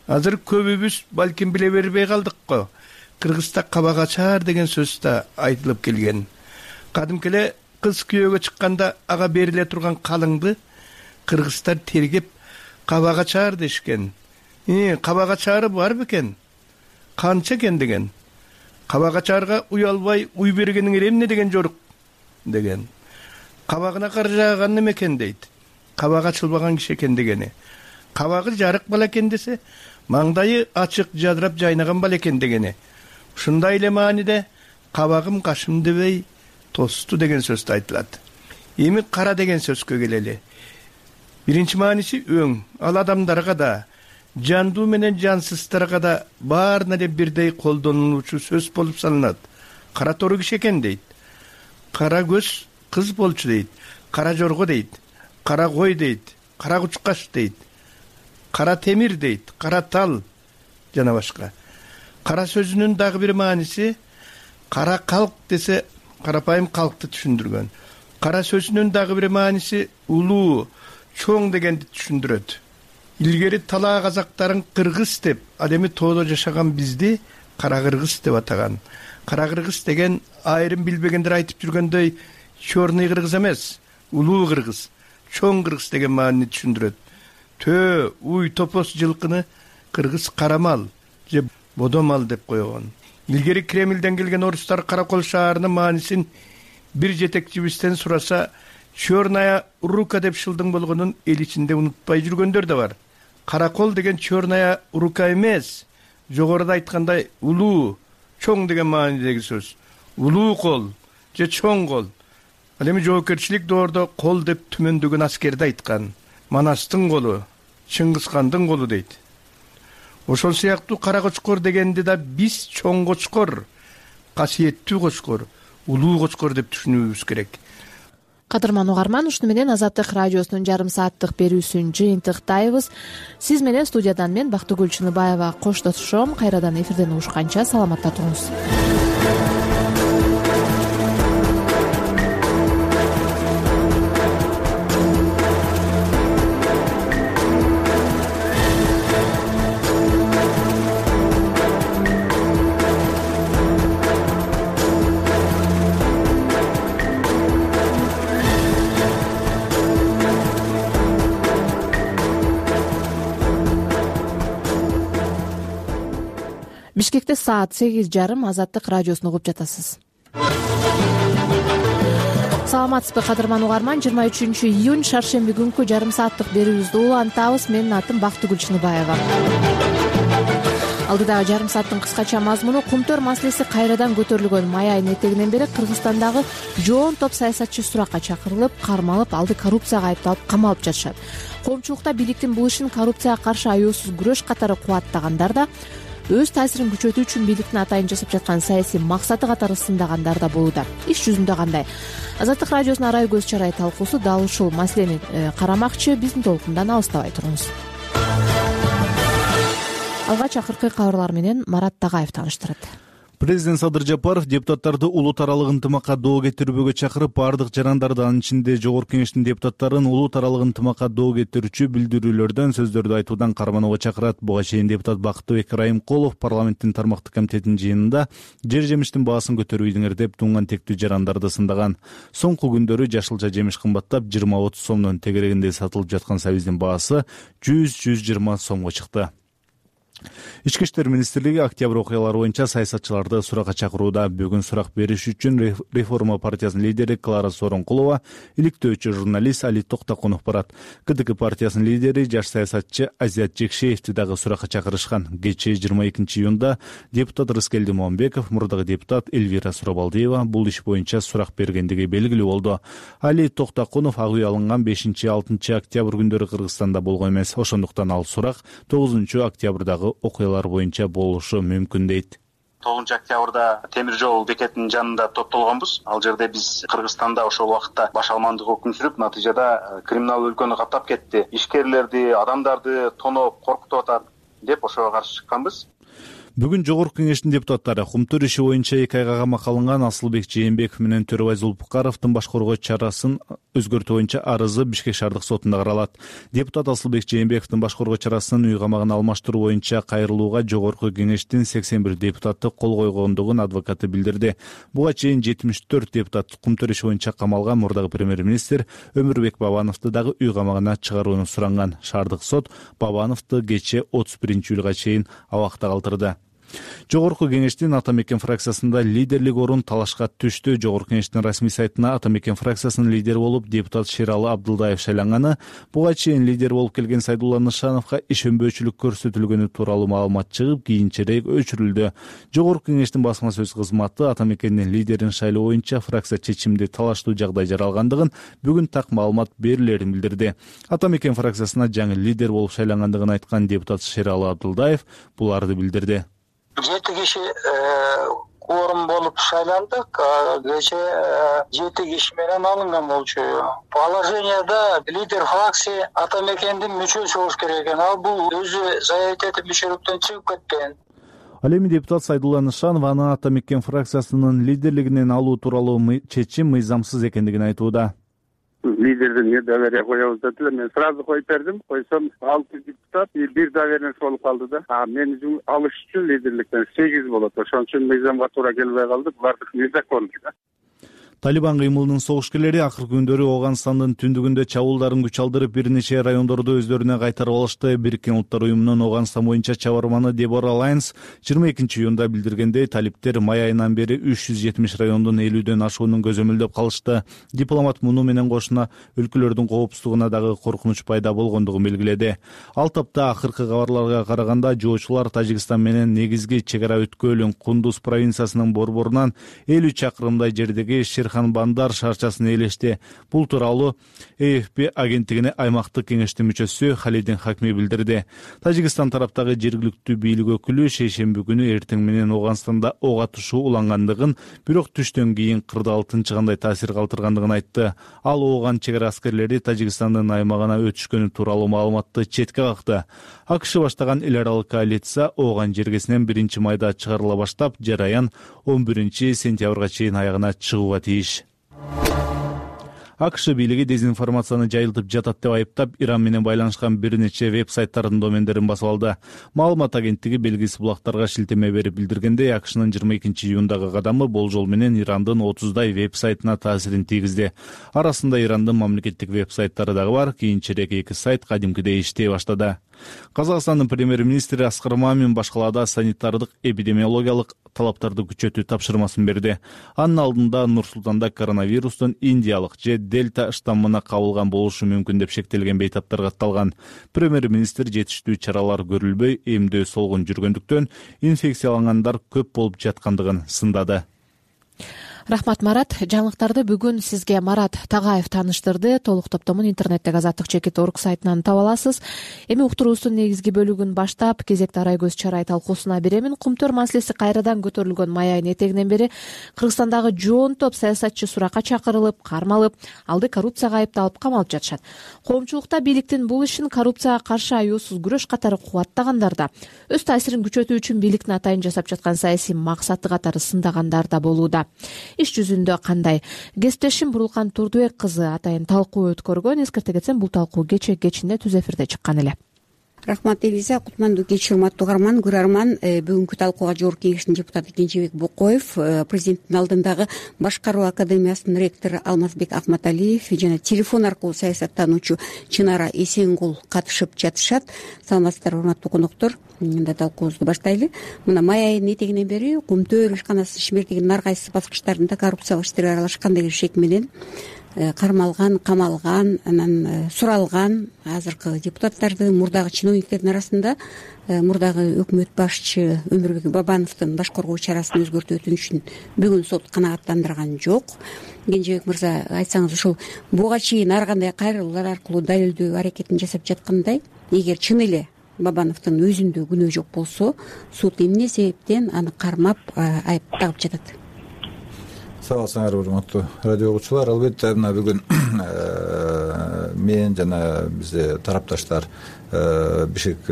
Азыр көбүбүз балким биле бербей калдык го. Кыргызда кабак ачар деген сөз да айтылып келген. Кадимкеле кыз күйөөгө чыкканда ага бериле турган калыңды кыргыздар тергеп кабак ачар дешкен. Э, кабак ачары бар бекен? Канча экен деген. Кабак ачарга уялбай уй бергениң эмне деген жорук деген. Кабагына кар жааган неме экен дейт. Кабак ачылбаган киши экен дегени. Кабагы жарык бала экен десе, маңдайы ачык жадырап жайнаган бала экен дегени. Ушундай эле мааниде кабагым кашым дебей тосту деген сөз айтылат. Эми кара деген сөзгө келели. Биринчи мааниси өң. Ал адамдарга да, жандуу менен жансыздарга да баарына эле бирдей колдонулуучу сөз болуп саналат. Кара тору киши экен дейт. Кара көз кыз болчу дейт. Кара жорго дейт. Кара кой дейт. Кара кучкаш дейт. Кара темир дейт. Кара тал жана башка. Кара сөзүнүн дагы бир мааниси кара калк десе карапайым калкты түшүндүргөн. Кара сөзүнүн дагы бир мааниси улуу, чоң дегенди түшүндүрөт. Илгери талаа казактарын кыргыз деп, ал эми тоодо жашаган бизди кара кыргыз деп атаган. Кара кыргыз деген айрым билбегендер айтып жүргөндөй чорный кыргыз эмес, улуу кыргыз, чоң кыргыз деген маанини түшүндүрөт. Төө, уй, топос жылкыны кыргыз карамал же бодомал деп койгон. Илгери Кремлден келген орустар Каракол шаарынын маанисин бир жетекчибизден сураса, черная рука деп шылдың болгонун эл ичинде унутпай жүргөндөр да бар. каракол деген черная рука эмес, жогоруда айткандай улуу, чоң деген маанидеги сөз. Улуу кол же чоң кол. Ал эми жоопкерчилик доордо кол деп түмөндөгөн аскерди айткан. Манастын колу, Чыңгызхандын колу дейт. Ошол сыяктуу кара кочкор дегенди да биз чоң кочкор, касиеттүү кочкор, улуу кочкор деп түшүнүүбүз керек. Кадырман угарман, ушуну менен Азаттык радиосунун жарым сааттык берүүсүн жыйынтыктайбыз. Сиз менен студиядан мен Бактыгүл Чыныбаева коштошом. Кайрадан эфирден угушканча саламатта туруңуз. Бишкекте саат сегиз жарым. Азаттык радиосун угуп жатасыз. Саламатсызбы кадырман угарман, жыйырма үчүнчү июнь шаршемби күнкү жарым сааттык берүүбүздү улантабыз. Менин атым Бактыгүл Чыныбаева. Алдыдагы жарым сааттын кыскача мазмуну: Кумтөр маселеси кайрадан көтөрүлгөн. Май айынын этегинен бери Кыргызстандагы жоон топ саясатчы суракка чакырылып, кармалып, алды коррупцияга айыпталып камалып жатышат. Коомчулукта бийликтин бул ишин коррупцияга каршы аяосуз күрөш катары кубаттагандар да, өз таасирин күчөтүү үчүн бийликтин атайын жасап жаткан саясий максаты катары сындагандар да болууда. Иш жүзүндө кандай? Азаттык радиосунун арай көз чарай талкуусу дал ушул маселени карамакчы. Биздин толкундан алыстабай туруңуз. Алгач акыркы кабарлар менен Марат Тагаев тааныштырат. Президент Садыр Жапаров депутаттарды улут аралык ынтымакка доо кетирүүгө чакырып, бардык жарандарды, анын ичинде Жогорку Кеңештин депутаттарын улут аралык ынтымакка доо кетирүүчү билдирүүлөрдөн, сөздөрдү айтуудан карманууга чакырат. Буга чейин депутат Бактыбек Райымкулов парламенттин тармактык комитетинин жыйынында жер жемиштин баасын көтөрбөйдүңөр деп туңган тектүү жарандарды сындаган. Соңку күндөрү жашылча жемиш кымбаттап, жыйырма отуз сомдон тегерегинде сатылып жаткан сабиздин баасы жүз жүз жыйырма сомго чыкты. Ички иштер министрлиги октябрь окуялары боюнча саясатчыларды суракка чакырууда. Бүгүн сурак бериш үчүн Реформа партиясынын лидери Клара Сооронкулова, иликтөөчү журналист Али Токтокунов барат. КДК партиясынын лидери жаш саясатчы Азият Жекшеевди дагы суракка чакырышкан. Кечээ жыйырма экинчи июнда депутат Рыскелди Момбеков, мурдагы депутат Эльвира Сурабалдиева бул иш боюнча сурак бергендиги белгилүү болду. Али Токтокунов ак үй алынган бешинчи алтынчы октябрь күндөрү Кыргызстанда болгон эмес. Ошондуктан ал сурак тогузунчу октябрдагы окуялар боюнча болушу мүмкүн дейт. тогузунчу октябрда темир жол бекетинин жанында топтолгонбуз. Ал жерде биз Кыргызстанда ошол убакытта баш алмандык өкүм сүрүп, натыйжада криминал өлкөнү каптап кетти, ишкерлерди, адамдарды тоноп, коркутуп атат деп ошого каршы чыкканбыз. Бүгүн Жогорку Кеңештин депутаттары Кумтөр иши боюнча эки айга камакка алынган Асылбек Жээнбеков менен Төрөбай Зулпукаровдун баш коргоо чарасын өзгөртүү боюнча арызы Бишкек шаардык сотунда каралат. Депутат Асылбек Жээнбековдун баш коргоо чарасын үй камагына алмаштыруу боюнча кайрылууга Жогорку Кеңештин сексен бир депутаты кол койгондугун адвокаты билдирди. Буга чейин жетимиш төрт депутат Кумтөр иши боюнча камалган мурдагы премьер-министр Өмүрбек Бабановду дагы үй камагына чыгарууну суранган. Шаардык сот Бабановду кечээ отуз биринчи июлга чейин абакта калтырды. Жогорку Кеңештин Ата Мекен фракциясында лидерлик орун талашка түштү. Жогорку Кеңештин расмий сайтына Ата Мекен фракциясынын лидери болуп депутат Шералы Абдылдаев шайланганы, буга чейин лидер болуп келген Сайдулла Нышановго ишенбөөчүлүк көрсөтүлгөнү тууралуу маалымат чыгып, кийинчерээк өчүрүлдү. Жогорку Кеңештин басма сөз кызматы Ата Мекендин лидерин шайлоо боюнча фракция чечимди талаштуу жагдай жаралгандыгын, бүгүн так маалымат берилерин билдирди. Ата Мекен фракциясына жаңы лидер болуп шайлангандыгын айткан депутат Шералы Абдылдаев буларды билдирди. Жети киши кворум болуп шайландык. Кечээ жети киши менен алынган болчу. Положенияда лидер фракции Ата Мекендин мүчөсү болуш керек экен. Ал бул өзү заявить этип мүчөлүктөн чыгып кеткен. Ал эми депутат Сайдулла Нышанов аны Ата Мекен фракциясынын лидерлигинен алуу тууралуу чечим мыйзамсыз экендигин айтууда. Лидердин доверие коебуз дедилер. Мен сразу коюп бердим. Койсом алты депутат бир доверенность болуп калды да. А мени алыш үчүн лидерликтен сегиз болот. Ошон үчүн мыйзамга туура келбей калды. Булардыкы незаконный да. Талибан кыймылынын согушкерлери акыркы күндөрү Ооганстандын түндүгүндө чабуулдарын күч алдырып бир нече райондорду өздөрүнө кайтарып алышты. Бириккен Улуттар уюмунун Ооганстан боюнча чабарманы Дебора Лайнс жыйырма экинчи июнда билдиргендей, талиптер май айынан бери үч жүз жетимиш райондун элүүдөн ашуунун көзөмөлдөп калышты. Дипломат муну менен кошуна өлкөлөрдүн коопсуздугуна дагы коркунуч пайда болгондугун белгиледи. Ал тапта акыркы кабарларга караганда жоочулар Тажикстан менен негизги чек ара өткөөлүн Кундуз провинциясынын борборунан элүү чакырымдай жердеги Ширхан Бандар шаарчасын ээлешти. Бул тууралуу Э Ф П агенттигине аймактык кеңештин мүчөсү Халидин Хакми билдирди. Тажикстан тараптагы жергиликтүү бийлик өкүлү шейшемби күнү эртең менен Ооганстанда ок атышуу улангандыгын, бирок түштөн кийин кырдаал тынчыгандай таасир калтыргандыгын айтты. Ал Ооган чек ара аскерлери Тажикстандын аймагына өтүшкөнү тууралуу маалыматты четке какты. АКШ баштаган эл аралык коалиция Ооган жергесинен биринчи майда чыгарыла баштап, жараян он биринчи сентябрга чейин аягына чыгууга тийиш. АКШ бийлиги дезинформацияны жайылтып жатат деп айыптап, Иран менен байланышкан бир нече веб-сайттардын домендерин басып алды. Маалымат агенттиги белгисиз булактарга шилтеме берип билдиргендей, АКШнын жыйырма экинчи июндагы кадамы болжол менен Ирандын отуздай веб-сайтына таасирин тийгизди. Арасында Ирандын мамлекеттик веб-сайттары дагы бар. Кийинчерээк эки сайт кадимкидей иштей баштады. Казакстандын премьер-министри Аскар Мамин башкалаада санитардык эпидемиологиялык талаптарды күчөтүү тапшырмасын берди. Анын алдында Нур-Султанда коронавирустун индиялык же дельта штаммына кабылган болушу мүмкүн деп шектелген бейтаптар катталган. Премьер-министр жетиштүү чаралар көрүлбөй, эмдөө солгун жүргөндүктөн инфекциялангандар көп болуп жаткандыгын сындады. Рахмат, Марат. Жаңылыктарды бүгүн сизге Марат Тагаев тааныштырды. Толук топтомун интернеттеги азаттык чекит точка орг сайтынан таба аласыз. Эми уктуруубуздун негизги бөлүгүн баштап, кезекти арай көз чарай талкуусуна беремин. Кумтөр маселеси кайрадан көтөрүлгөн май айынын этегинен бери Кыргызстандагы жоон топ саясатчы суракка чакырылып, кармалып, алды коррупцияга айыпталып камалып жатышат. Коомчулукта бийликтин бул ишин коррупцияга каршы аюусуз күрөш катары кубаттагандар да, өз таасирин күчөтүү үчүн бийликтин атайын жасап жаткан саясий максаты катары сындагандар да болууда. Иш жүзүндө кандай? Кесиптешим Бурулкан Турдубек кызы атайын талкуу өткөргөн. Эскерте кетсем, бул талкуу кечээ кечинде түз эфирде чыккан эле. Рахмат, Элиза. Кутмандуу кеч, урматтуу угарман, көрөрман. Бүгүнкү талкууга Жогорку Кеңештин депутаты Кенжебек Бокоев, президенттин алдындагы Башкаруу академиясынын ректору Алмазбек Акматалиев жана телефон аркылуу саясаттануучу Чынара Эсенгул катышып жатышат. Саламатсыздарбы, урматтуу коноктор? Мында талкуубузду баштайлы. Мына май айынын этегинен бери Кумтөр ишканасынын Шимертигинин ар кайсы баскычтарында коррупциялык иштерге аралашкан деген шек менен кармалган, камалган, анан суралган азыркы депутаттарды, мурдагы чиновниктердин арасында мурдагы өкмөт башчы Өмүрбек Бабановдун баш коргоо чарасын өзгөртүү өтүнүшүн бүгүн сот канааттандырган жок. Кенжебек мырза, айтсаңыз, ушул буга чейин ар кандай кайрылуулар аркылуу далилдөө аракетин жасап жаткандай, эгер чын эле Бабановдун өзүндө күнөө жок болсо, суд эмне себептен аны кармап айып тагып жатат? Саламатсыңарбы, урматтуу радио угуучулар. Албетте мына бүгүн мен жана бизде тарапташтар Бишкек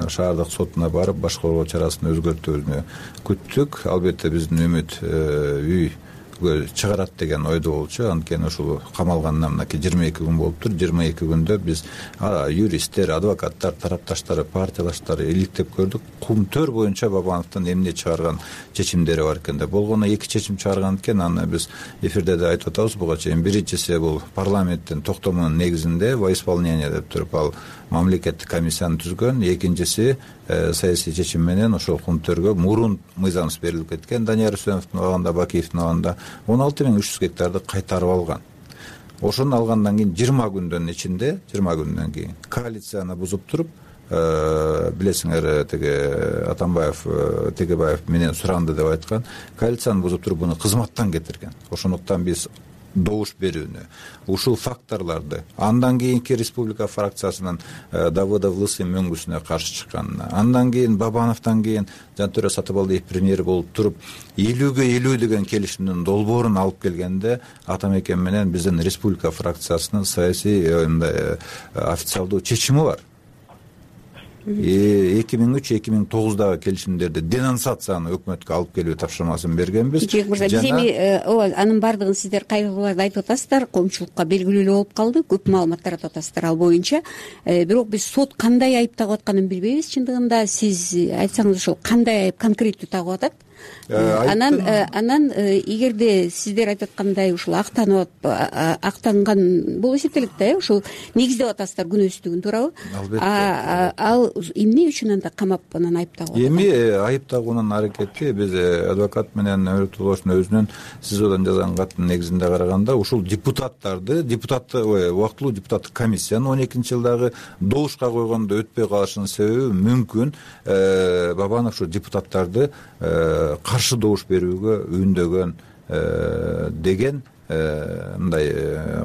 шаардык сотуна барып, баш коргоо чарасын өзгөртүүнү күттүк. Албетте биздин үмүт үй чыгарат деген ойдо болчу. Анткени ушул камалганына мынакей жыйырма эки күн болуптур. жыйырма эки күндө биз юристтер, адвокаттар, тарапташтары, партиялаштары иликтеп көрдүк. Кумтөр боюнча Бабановдун эмне чыгарган чечимдери бар экен деп. Болгону эки чечим чыгарган экен. Аны биз эфирде да айтып атабыз буга чейин. Биринчиси бул парламенттин токтомунун негизинде во исполнение деп туруп ал мамлекеттик комиссияны түзгөн. Экинчиси саясий чечим менен ошол Кумтөргө мурун мыйзамсыз берилип кеткен Данияр Үсеновдун убагында, Бакиевдин убагында он алты миң үч жүз гектарды кайтарып алган. Ошону алгандан кийин жыйырма күндүн ичинде, жыйырма күндөн кийин коалицияны бузуп туруп, билесиңер, тиги Атамбаев, Тегебаев менен суранды деп айткан, коалицияны бузуп туруп буну кызматтан кетирген. Ошондуктан биз добуш берүүнү, ушул факторлорду андан кийинки республика фракциясынын Давыдов Лысый мөңгүсүнө каршы чыкканына, андан кийин Бабановдон кийин Жантөре Сатыбалдиев премьер болуп туруп элүүгө элүү деген келишимдин долбоорун алып келгенде Атамекен менен биздин республика фракциясынын саясий официалдуу чечими бар. эки миң үч эки миң тогуздагы келишимдерди денонсацияны өкмөткө алып келүү тапшырмасын бергенбиз. Кенжебек мырза, биз эми ооба анын баардыгын сиздер кайрылууларды айтып атасыздар, коомчулукка белгилүү эле болуп калды, көп маалымат таратып атасыздар ал боюнча. Бирок биз сот кандай айып тагып атканын билбейбиз чындыгында. Сиз айтсаңыз, ошол кандай айып конкреттүү тагып атат? анан анан эгерде сиздер айтып аткандай ушул актанып актанган болуп эсептелет да, э ушул негиздеп атасыздар күнөөсүздүгүн, туурабы? Албетте. Ал эмне үчүн анда камап анан айыптагып атат? Эми айыптагуунун аракети биз адвокат менен Өмүрөтуловдун өзүнүн СИЗОдон жазган каттын негизинде караганда ушул депутаттарды депутатты убактылуу депутаттык комиссияны он экинчи жылдагы добушка койгондо өтпөй калышынын себеби мүмкүн Бабанов ушу депутаттарды каршы добуш берүүгө үндөгөн деген мындай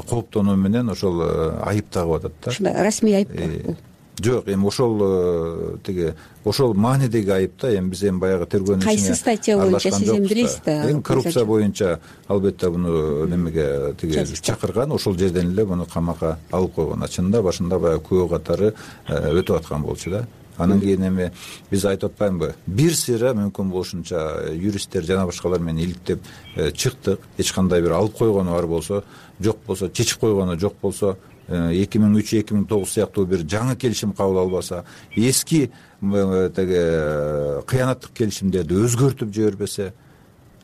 кооптонуу менен ошол айыптагып атат да. Ушундай расмий айып. Жок, эми ошол тиги ошол маанидеги айып да. Эми биз эми баягы тергөөнүн ичине кайсы статья боюнча сиз эми билесиз да? Эми коррупция боюнча албетте буну немеге тиги чакырган, ошол жерден эле буну камакка алып койгон. Чынында башында баягы күбө катары өтүп аткан болчу да. Анан кийин эми биз айтып атпаймынбы, бир сыйра мүмкүн болушунча юристтер жана башкалар менен иликтеп чыктык. Эч кандай бир алып койгону бар болсо, жок болсо, чечип койгону жок болсо, эки миң үч эки миң тогуз сыяктуу бир жаңы келишим кабыл албаса, эски тиги кыянаттык келишимдерди өзгөртүп жибербесе,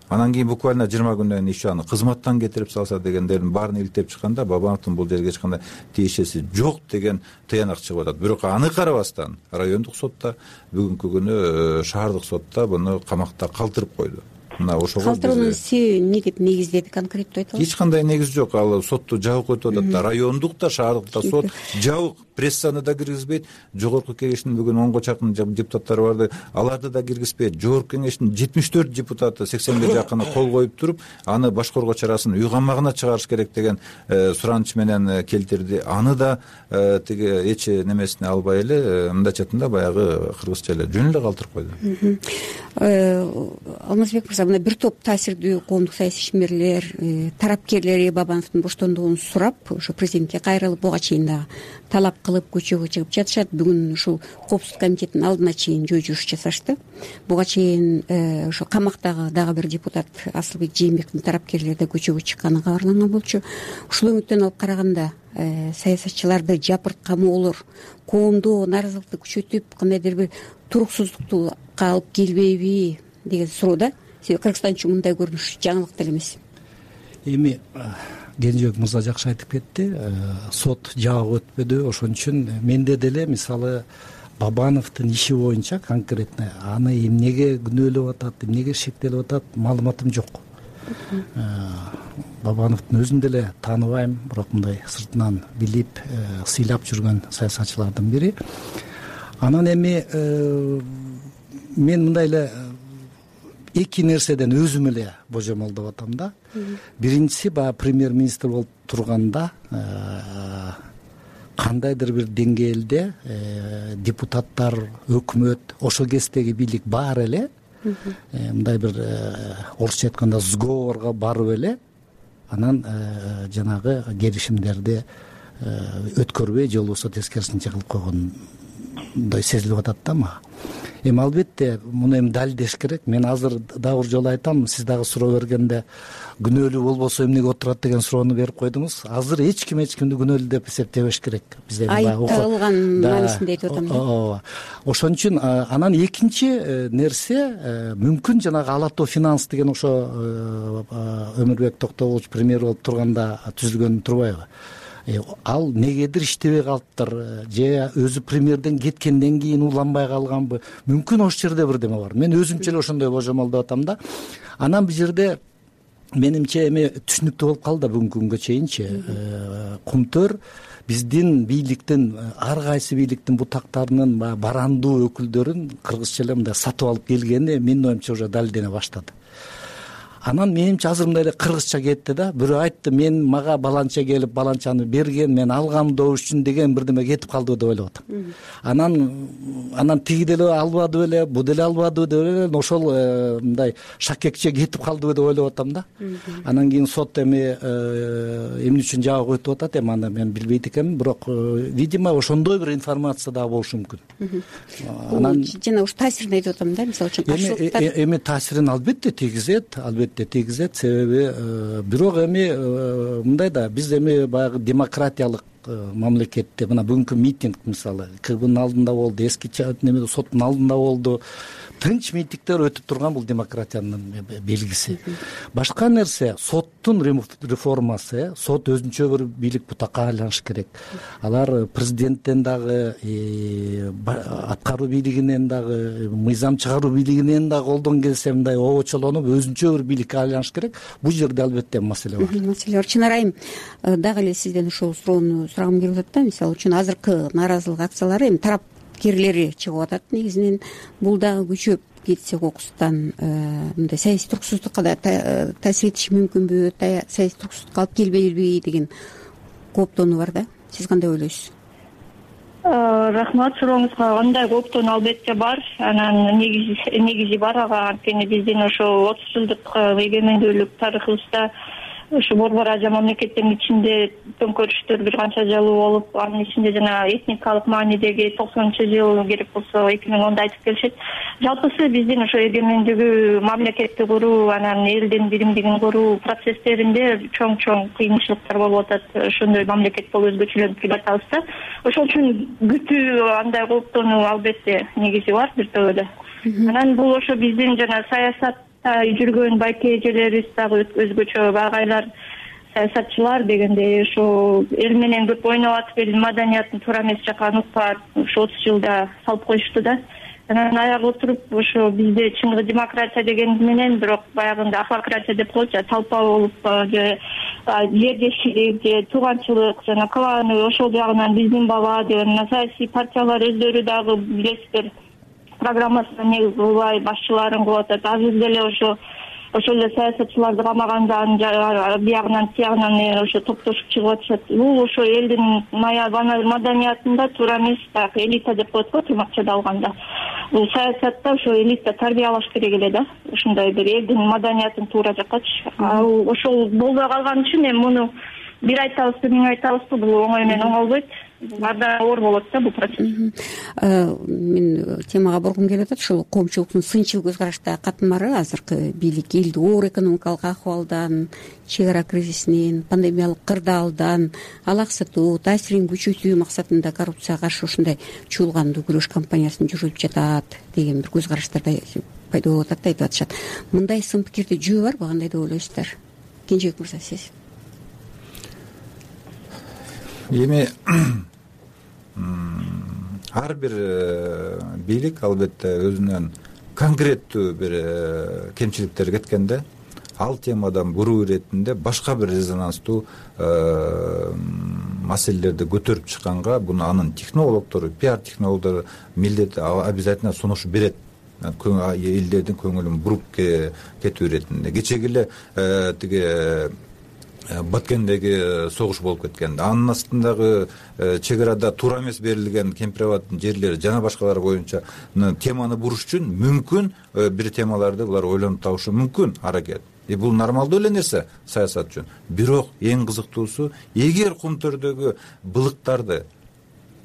анан кийин буквально жыйырма күндөн кийин иши аны кызматтан кетирип салса дегендердин баарын иликтеп чыкканда Бабановдун бул жерге эч кандай тиешеси жок деген тыянак чыгып атат. Бирок аны карабастан райондук сотто, бүгүнкү күнү шаардык сотто буну камакта калтырып койду. Мына ошого калтыруунун себеби эмнеге негиздеди, конкреттүү айтып Эч кандай негиз жок. Ал сотту жабык өтүп атат да. Райондук да, шаардык да сот жабык. Прессаны да киргизбейт. Жогорку кеңештин бүгүн онго чакын депутаттары барды, аларды да киргизбейт. Жогорку кеңештин жетимиш төрт депутаты сексенге жакыны кол коюп туруп, аны башкаруу чарасын үй камагына чыгарыш керек деген сураныч менен келтирди. Аны да тиги эч немесине албай эле мындайчатында баягы кыргызча эле жөн эле калтырып койду. Алмазбек мырза, мына бир топ таасирдүү коомдук саясий ишмерлер, тарапкерлери Бабановдун боштондугун сурап, ошо президентке кайрылып, буга чейин дагы талап кылып көчөгө чыгып жатышат. Бүгүн ушул коопсуздук комитеттин алдына чейин жөө жүрүш жасашты. Буга чейин ошо камактагы дагы бир депутат Асылбек Жээнбековдун тарапкерлери да көчөгө чыкканы кабарланган болчу. Ушул өңүттөн алып караганда саясатчыларды жапырткамоолор коомдо нааразылыкты күчөтүп, кандайдыр бир туруксуздукту алып келбейби деген суроо да. Себеби Кыргызстан үчүн мындай көрүнүш жаңылык деле эмес. Эми Кенжебек мырза жакшы айтып кетти. Сот жабык өтпөдү. Ошон үчүн менде деле мисалы Бабановдун иши боюнча конкретно аны эмнеге күнөөлөп атат, эмнеге шектелип атат, маалыматым жок. Бабановдун өзүн деле тааныбайм, бирок мындай сыртынан билип, сыйлап жүргөн саясатчылардын бири. Анан эми мен мындай эле эки нерседен өзүм эле божомолдоп атам да. Биринчиси баягы премьер-министр болуп турганда кандайдыр бир деңгээлде депутаттар, өкмөт, ошол кездеги бийлик баары эле мындай бир орусча айтканда сговорго барып эле анан жанагы келишимдерди өткөрбөй же болбосо тескерисинче кылып койгондой сезилип атат да мага. Эми албетте муну эми далилдеш керек. Мен азыр дагы бир жолу айтам, сиз дагы суроо бергенде күнөөлүү болбосо эмнеге отурат деген суроону берип койдуңуз. Азыр эч ким эч кимди күнөөлүү деп эсептебеш керек. Биз эми айыпталган маанисинде айтып атам да. Ооба. Ошон үчүн анан экинчи нерсе мүмкүн жанагы Ала Тоо финанс деген ошо Өмүрбек Токтоболович премьер болуп турганда түзүлгөн турбайбы? Ал негедир иштебей калыптыр же өзү премьерден кеткенден кийин уланбай калганбы? Мүмкүн ошол жерде бирдеме бар. Мен өзүмчө эле ошондой божомолдоп атам да. Анан бул жерде менимче эми түшүнүктүү болуп калды да бүгүнкү күнгө чейинчи. Кумтөр биздин бийликтин ар кайсы бийликтин бутактарынын барандуу өкүлдөрүн кыргызча эле мындай сатып алып келгени менин оюмча уже далилдене баштады. Анан менимче азыр мындай эле кыргызча кетти да. Бирөө айтты, мен мага баланча келип баланчаны берген, мен алгам добуш үчүн деген бирдеме кетип калды деп ойлоп атам. Анан анан тиги деле албады беле, бу деле албады деп эле ошол мындай шакекче кетип калды деп ойлоп атам да. Анан кийин сот эми эмне үчүн жабык өтүп атат, эми аны мен билбейт экенмин, бирок видимо ошондой бир информация дагы болушу мүмкүн. Анан жана ушу таасирин айтып атам да, мисалы үчүн каршылыктар. Эми таасирин албетте тийгизет, албетте тийгизет. Себеби бирок эми мындай да, биз эми баягы демократиялык мамлекетте мына бүгүнкү митинг мисалы КГБнын алдында болду, эски неме соттун алдында болду. тынч митингдер өтүп турган бул демократиянын белгиси. Башка нерсе соттун реформасы. Сот өзүнчө бир бийлик бутакка айланышы керек. Алар президенттен дагы, аткаруу бийлигинен дагы, мыйзам чыгаруу бийлигинен дагы колдон келсе мындай обочолонуп өзүнчө бир бийликке айланыш керек. Бул жерде албетте маселе бар. Маселе бар. Чынар айым, дагы эле сизден ошол суроону сурагым келип атат да. Мисалы үчүн азыркы нааразылык акциялары эми тарап керлери чыгып атат. Негизинен бул дагы күчөп кетсе кокустан мындай саясий туруксуздукка да таасир этиши мүмкүнбү, саясий туруксуздукка алып келбейби деген кооптонуу бар да. Сиз кандай ойлойсуз? Рахмат сурооңузга. Андай кооптонуу албетте бар. Анан негизи негизи бар ага. Анткени биздин ошо отуз жылдык эгемендүүлүк тарыхыбызда ушу борбор ажа мамлекеттердин ичинде төңкөрүштөр бир канча жалуу болуп, анын ичинде жана этникалык маанидеги токсонунчу жыл керек болсо эки миң онда айтып келишет. Жалпысы биздин ошо эгемендүүгү мамлекетти куруу, анан элдин биримдигин куруу процесстеринде чоң-чоң кыйынчылыктар болуп атат. Ошондой мамлекет болуп өзгөчөлөнүп келатабыз да. Ошол үчүн күтүү, андай кооптонуу албетте негизи бар бир төбөдө. Анан бул ошо биздин жана саясат жүргөн байке эжелерибиз дагы өзгөчө багайлар, саясатчылар дегендей ошо эл менен көп ойноп атып, элдин маданиятын туура эмес жака нукпа ушу отуз жылда салып коюшту да. Анан аяга отуруп ошо бизде чыныгы демократия деген менен, бирок баягында ахлократия деп коечу, талпа болуп же жердешилик же тууганчылык жана кланы ошол жагынан биздин бала деген саясий партиялар өздөрү дагы билесиздер программасына негиз кылбай башчыларын кылып атат. Азыр деле ошо ошол эле саясатчыларды камагандан биягынан тиягынан ошо топтошуп чыгып атышат. Бул ошо элдин маданиятында туура эмес, так элита деп коет го тырмакчада алганда. Бул саясатта ошо элита тарбиялаш керек эле да. Ошондой бир элдин маданиятын туура жаккачы. Ошол болбой калган үчүн эми муну бир айтабызбы, миң айтабызбы, бул оңой менен оңолбойт. Анда оор болот да бул процесс. Мен темага бургум келип атат. Ушул коомчулуктун сынчыл көз карашта катмары азыркы бийлик элди оор экономикалык акыбалдан, чек ара кризисинен, пандемиялык кырдаалдан алаксытуу, таасирин күчөтүү максатында коррупцияга каршы ушундай чуулгандуу күрөш кампаниясын жүргүзүп жатат деген бир көз караштар пайда болуп атат да, айтып атышат. Мындай сын пикирде жөө барбы, кандай деп ойлойсуздар? Кенжебек мырза, сиз? Эми ар бир бийлик албетте өзүнөн конкреттүү бир кемчиликтер кеткенде ал темадан буруу иретинде башка бир резонанстуу маселелерди көтөрүп чыкканга буну анын технологдору, пиар технологдору милдети обязательно сунуш берет. Элдердин көңүлүн буруп кетүү иретинде. Кечеги эле тиги Баткендеги согуш болуп кеткен. Анын астындагы чек арада туура эмес берилген кемпирабаддын жерлери жана башкалар боюнча теманы буруш үчүн мүмкүн бир темаларды булар ойлонуп табышы мүмкүн аракет. И бул нормалдуу эле нерсе саясат үчүн. Бирок эң кызыктуусу, эгер кумтөрдөгү былыктарды,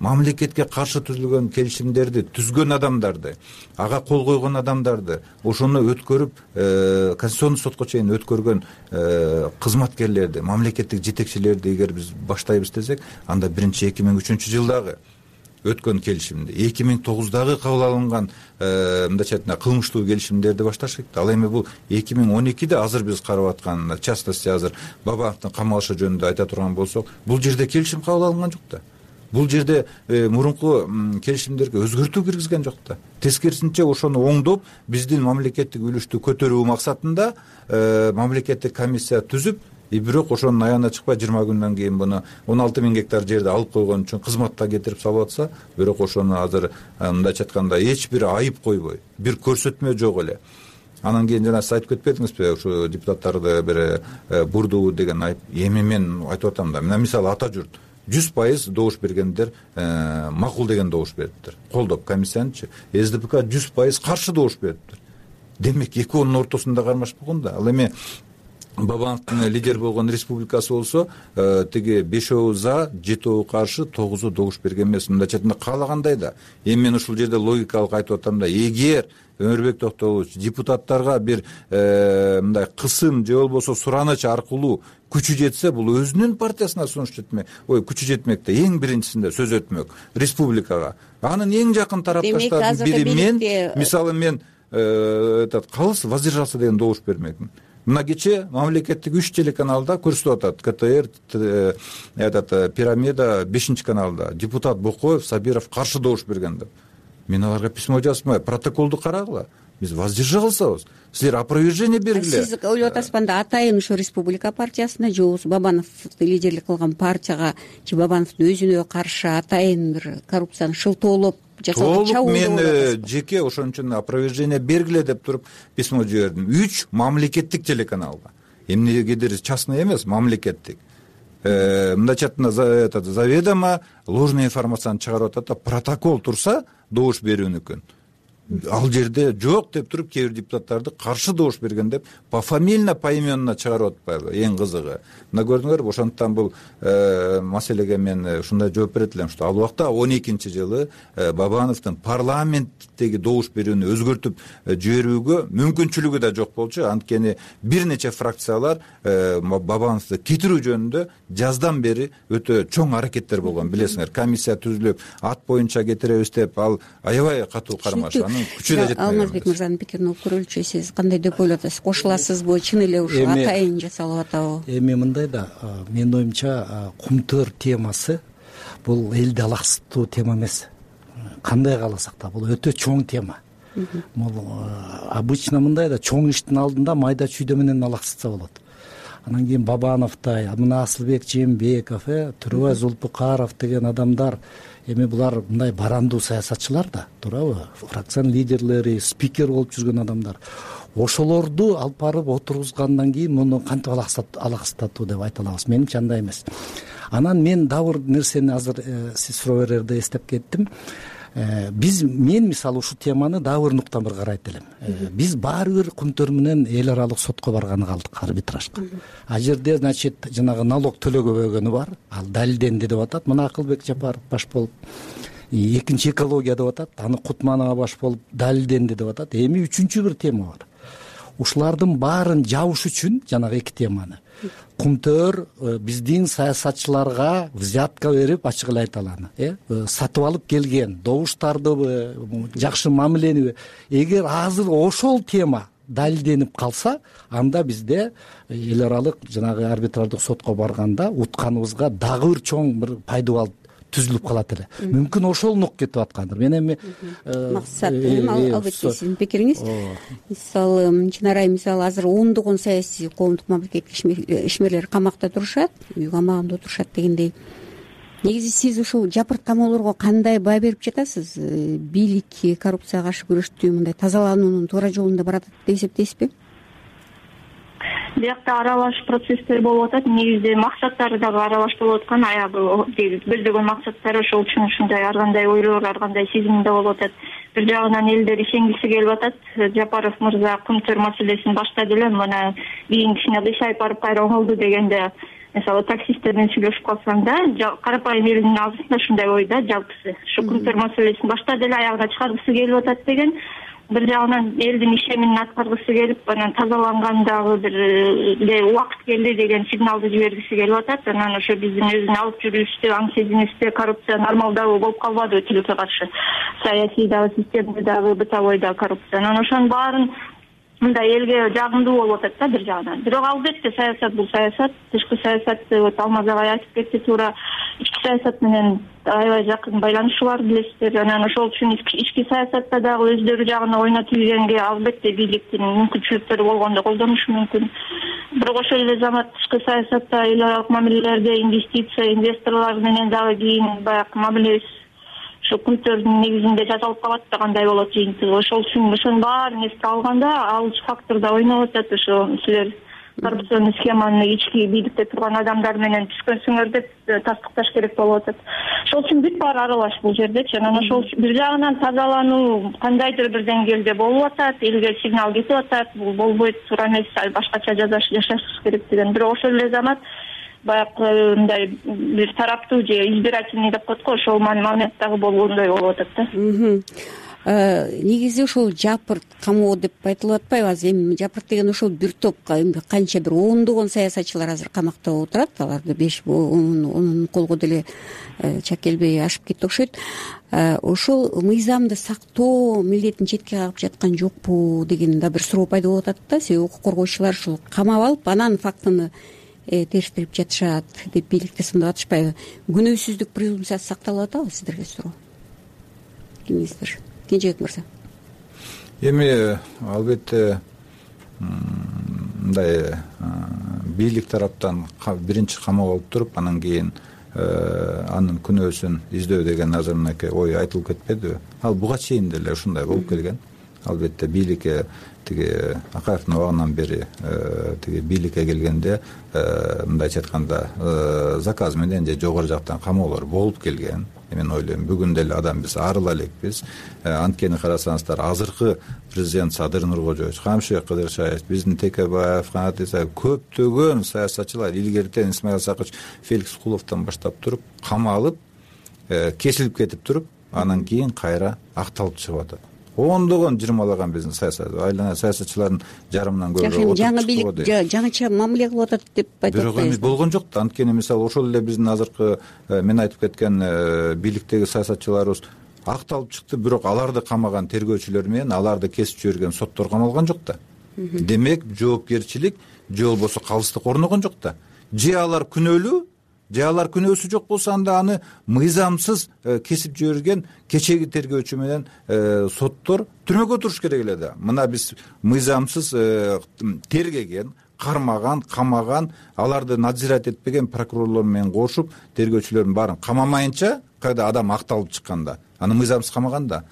мамлекетке каршы түзүлгөн келишимдерди түзгөн адамдарды, ага кол койгон адамдарды, ошону өткөрүп конституциондук сотко чейин өткөргөн кызматкерлерди, мамлекеттик жетекчилерди эгер биз баштайбыз десек, анда биринчи эки миң үчүнчү жылдагы өткөн келишимди, эки миң тогуздагы кабыл алынган мындайча айтканда кылмыштуу келишимдерди башташ керек. Ал эми бул эки миң он экиде азыр биз карап аткан, в частности азыр Бабановдун камалышы жөнүндө айта турган болсок, бул жерде келишим кабыл алынган жок да. Бул жерде мурунку келишимдерге өзгөртүү киргизген жок да. Тескерисинче ошону оңдоп, биздин мамлекеттик үлүштү көтөрүү максатында мамлекеттик комиссия түзүп, и бирок ошонун аягына чыкпай жыйырма күндөн кийин буну он алты миң гектар жерди алып койгон үчүн кызматка кетирип салып атса, бирок ошону азыр мындайча айтканда эч бир айып койбой, бир көрсөтмө жок эле. Анан кийин жана сиз айтып кетпедиңизби, ушу депутаттарды бир бурдуу деген айып. Эми мен айтып атам да, мына мисалы ата журт жүз пайыз добуш бергендер макул деген добуш бериптир. Колдоп комиссиянычы. СДПК жүз пайыз каршы добуш бериптир. Демек экөөнүн ортосунда кармашпаган да. Ал эми Бабановдун лидер болгон республикасы болсо, тиги бешөө за, жетөө каршы, тогузу добуш берген эмес. Мындайча айтканда каалагандай да. Эми мен ушул жерде логикалык айтып атам да, эгер Өмүрбек Токтогулович депутаттарга бир мындай кысым же болбосо сураныч аркылуу күчү жетсе, бул өзүнүн партиясына сунуш жетмек, ой, күчү жетмек да, эң биринчисинде сөз өтмөк республикага. Анын эң жакын тарапташтардын бири мен, мисалы мен этот калыс воздержаться деген добуш бермекмин. Мына кечээ мамлекеттик үч телеканалда көрсөтүп атат. КТР, этот Пирамида бешинчи каналда депутат Бокоев, Сабиров каршы добуш берген деп. Мен аларга письмо жазмай, протоколду карагыла. Биз воздержалсабыз. Силер опровержение бергиле. Сиз ойлоп атасызбы, анда атайын ушу Республика партиясына же болбосо Бабановду лидерлик кылган партияга же Бабановдун өзүнө каршы атайын бир коррупцияны шылтоолоп жасалган чабуул? Мен жеке ошон үчүн опровержение бергиле деп туруп письмо жибердим. Үч мамлекеттик телеканалга. Эмнегедир частный эмес, мамлекеттик. Мындайча айтканда заведомо ложная информацияны чыгарып атат да, протокол турса добуш берүүнүкүн. Ал жерде жок деп туруп кээ бир депутаттарды каршы добуш берген деп пофамильно, поименно чыгарып атпайбы? Эң кызыгы мына көрдүңөрбү, ошондуктан бул маселеге мен ушундай жооп берет элем, что ал убакта он экинчи жылы Бабановдун парламенттеги добуш берүүнү өзгөртүп жиберүүгө мүмкүнчүлүгү да жок болчу. Анткени бир нече фракциялар Бабановду кетирүү жөнүндө жаздан бери өтө чоң аракеттер болгон, билесиңер. Комиссия түзүлүп, ат боюнча кетиребиз деп, ал аябай катуу кармашы. Алмазбек мырзанын пикирин угуп көрөлүчү. Сиз кандай деп ойлоп атасыз? Кошуласызбы? Чын эле ушул атайын жасалып атабы? Эми мындай да, менин оюмча кумтөр темасы бул элди алаксытуу тема эмес. Кандай кааласак да, бул өтө чоң тема. Бул обычно мындай да, чоң иштин алдында майда чүйдө менен алаксытса болот. Анан кийин Бабановдай, мына Асылбек Жээнбеков, Төрөбай Зулпукаров деген адамдар, эми булар мындай барандуу саясатчылар да, туурабы? Фракциянын лидерлери, спикер болуп жүргөн адамдар. Ошолорду алып барып отургузгандан кийин муну кантип алаксытатуу деп айта алабыз? Менимче андай эмес. Анан мен дагы бир нерсени азыр сиз суроо берерде эстеп кеттим. Биз мен мисалы ушул теманы дагы бир нуктан бир карайт элем. Биз баары бир кумтөр менен эл аралык сотко барганы калдык, арбитражга. А жерде, значит, жанагы налог төлөгөнү бар, ал далилденди деп атат. Мына Акылбек Жапаров баш болуп, экинчи экология деп атат, аны Кутманова баш болуп далилденди деп атат. Эми үчүнчү бир тема бар. Ушулардын баарын жабыш үчүн жанагы эки теманы кумтөр биздин саясатчыларга взятка берип, ачык эле айта алам, э сатып алып келген добуштарды жакшы мамилени, эгер азыр ошол тема далилденип калса, анда бизде эл аралык жанагы арбитраждык сотко барганда утканыбызга дагы бир чоң бир пайдубал түзүлүп калат эле. Мүмкүн ошол нук кетип аткандыр. Мен эми максат, албетте сиздин пикириңиз. Мисалы, Чынарай мисалы азыр ондогон саясий коомдук мамлекеттик ишмерлер камакта турушат, үй камагында отурушат дегендей. Негизи сиз ушул жапырт камоолорго кандай баа берип жатасыз? Бийлик коррупцияга каршы күрөштү мындай тазалануунун туура жолунда барат деп эсептейсизби? Биякта аралаш процесстер болуп атат. Негизде максаттары дагы аралаш болуп аткан. Аягы көздөгөн максаттары ошол үчүн ушундай ар кандай ойлор, ар кандай сезимде болуп атат. Бир жагынан элдер ишенгиси келип атат. Жапаров мырза кумтөр маселесин баштады эле, мына кийин кичине кыйшайып барып кайра оңолду дегенде, мисалы таксисттерден сүйлөшүп калсам да, карапайым элдин алдысында ушундай ойда жалпысы. Ушу кумтөр маселесин баштады эле, аягына чыгаргысы келип атат деген. Бир жагынан элдин ишемин аткаргысы келип, анан тазалангандагы бир убакыт келди деген сигналды жибергиси келип атат. Анан ошо биздин өзүн алып жүрүүбүздө, аң сезимибизде коррупция нормалдуу болуп калбадыбы тилекке каршы. Саясий дагы, системада дагы, бытовой дагы коррупция. Анан ошонун баарын мындай элге жагымдуу болуп атат да бир жагынан. Бирок албетте саясат бул саясат, тышкы саясатты вот Алмаз агай айтып кетти туура, ички саясат менен аябай жакын байланышы бар, билесиздер. Анан ошол үчүн ички саясатта дагы өздөрү жагына ойноп ийгенге албетте бийликтин мүмкүнчүлүктөрү болгондо колдонушу мүмкүн. Бирок ошол эле замат тышкы саясатта эл аралык мамилелерде инвестиция, инвесторлор менен дагы кийин баягы мамилебиз ошо кумтөрдүн негизинде жасалып калат да кандай болот жыйынтыгы. Ошол үчүн ошонун баарын эске алганда ал фактор да ойноп атат. Ошо силер коррупционный схеманы ички бийликте турган адамдар менен түшкөнсүңөр деп тастыкташ керек болуп атат. Ошол үчүн бүт баары аралаш бул жердечи. Анан ошол бир жагынан тазалануу кандайдыр бир деңгээлде болуп атат, элге сигнал кетип атат, бул болбойт, туура эмес, башкача жашаш керек деген. Бирок ошол эле замат баягы мындай бир тараптуу же избирательный деп коет го, ошол момент дагы болгондой болуп атат да. негизи ошол жапырт камоо деп айтылып атпайбы азыр? Эми жапырт деген ошол бир топ канча бир ондогон саясатчылар азыр камакта отурат, аларды беш онун колго деле чак келбей ашып кетти окшойт. Ошол мыйзамды сактоо милдетин четке кагып жаткан жокпу деген да бир суроо пайда болуп атат да. Себеби укук коргоочулар ушул камап алып анан фактыны териштирип жатышат деп бийликти сындап атышпайбы? Күнөөсүздүк презумпциясы сакталып атабы сиздерге суроо? Кимиңиздер? Кенжебек мырза. Эми албетте мындай бийлик тараптан биринчи камап алып туруп, анан кийин анын күнөөсүн издөө деген азыр мынакей ой айтылып кетпедиби? Ал буга чейин деле ушундай болуп келген. Албетте бийликке тиги Акаевдин убагынан бери тиги бийликке келгенде мындайча айтканда заказ менен же жогору жактан камоолор болуп келген. Мен ойлойм бүгүн деле адам биз арыла элекпиз. Анткени карасаңыздар, азыркы президент Садыр Нуркожоевич, Камшыбек Кыдыршаев, биздин Текебаев, Канат Исаев, көптөгөн саясатчылар илгертен Исмаил Сакыч, Феликс Куловдон баштап туруп камалып, кесилип кетип туруп, анан кийин кайра акталып чыгып атат. Ондогон жыйырмалаган биздин саясат айлана саясатчылардын жарымынан көбүрөөк жаңы бийлик жаңыча мамиле кылып атат деп айтып атпайбызбы? Бирок эми болгон жок да. Анткени мисалы ошол эле биздин азыркы мен айтып кеткен бийликтеги саясатчыларыбыз акталып чыкты, бирок аларды камаган тергөөчүлөр менен аларды кесип жиберген соттор камалган жок да. Демек жоопкерчилик же болбосо калыстык орногон жок да. Же алар күнөөлүү, же алар күнөөсү жок болсо анда аны мыйзамсыз кесип жиберген кечеги тергөөчү менен соттор түрмөгө туруш керек эле да. Мына биз мыйзамсыз тергеген, кармаган, камаган, аларды надзирать этпеген прокурорлор менен кошуп тергөөчүлөрдүн баарын камамайынча, кайда адам акталып чыкканда, аны мыйзамсыз камаганда,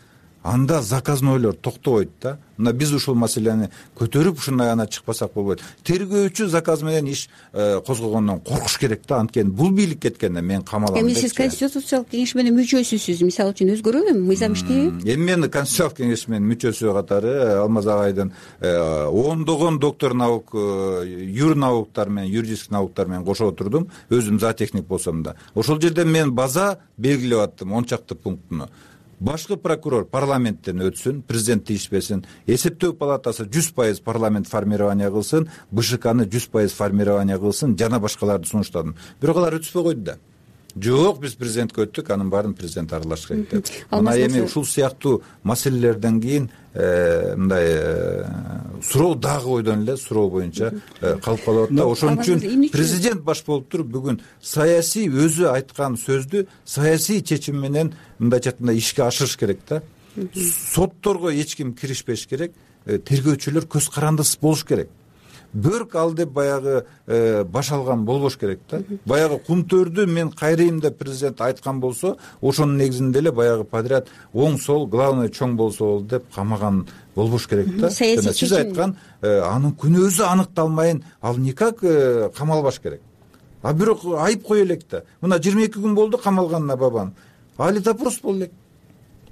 анда заказнойлор токтобойт да. Мына биз ушул маселени көтөрүп ушундай ана чыкпасак болбойт. Тергөөчү заказ менен иш козгогондон коркуш керек да. Анткени бул бийлик кеткенде мен камалам. Эми сиз конституциялык кеңеш менен мүчөсүсүз, мисалы үчүн өзгөрөбү мыйзам иштейби? Эми мен конституциялык кеңеш менен мүчөсү катары Алмаз агайдын ондогон доктор наук, юр науктар менен, юридический науктар менен кошо отурдум. Өзүм зоотехник болсом да. Ошол жерде мен база белгилеп аттым, он чакты пунктуну. Башкы прокурор парламенттен өтсүн, президент тийишпесин, эсептөө палатасы жүз пайыз парламент формирование кылсын, БШКны жүз пайыз формирование кылсын, жана башкаларды сунуштадым. Бирок алар өтүшпөй койду да. Жок, биз президентке өттүк, анын баарын президент аралаш керек деп. Мына эми ушул сыяктуу маселелерден кийин мындай суроо дагы ойдон эле суроо боюнча калып калып атат да. Ошон үчүн президент баш болуп туруп бүгүн саясий өзү айткан сөздү саясий чечим менен мындайча айтканда ишке ашырыш керек да. Сотторго эч ким киришпеш керек, тергөөчүлөр көз карандысыз болуш керек. Бөрк ал деп баягы баш алган болбош керек да. Баягы кумтөрдү мен кайрыйм деп президент айткан болсо, ошонун негизинде эле баягы подряд оң сол главный чоң болсо болду деп камаган болбош керек да. Жана сиз айткан анын күнөөсү аныкталмайын ал никак камалбаш керек. А бирок айып кое элек да. Мына жыйырма эки күн болду камалганына бабам. Али допрос болду элек.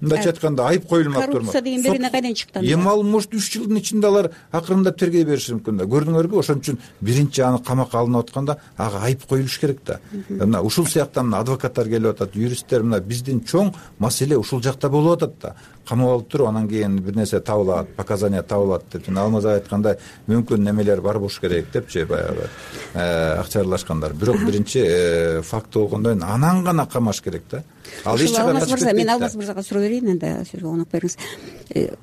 Мындайча айтканда айып коюлмак турмак. Коррупция деген берине кайдан чыкты? Эми ал может үч жылдын ичинде алар акырындап тергей бериши мүмкүн да. Көрдүңөрбү? Ошон үчүн биринчи аны камакка алынып атканда ага айып коюлуш керек да. Мына ушул сыяктан мына адвокаттар келип атат, юристтер, мына биздин чоң маселе ушул жакта болуп атат да. Камап алып туруп, анан кийин бир нерсе табылат, показания табылат деп, Алмаз айткандай мүмкүн немелер бар болуш керек депчи баягы акча аралашкандар. Бирок биринчи факт болгондон кийин анан гана камаш керек да. Ал эч жака качып кетпейт. Мен Алмаз мырзага суроо берейин, анда сиз конок бериңиз.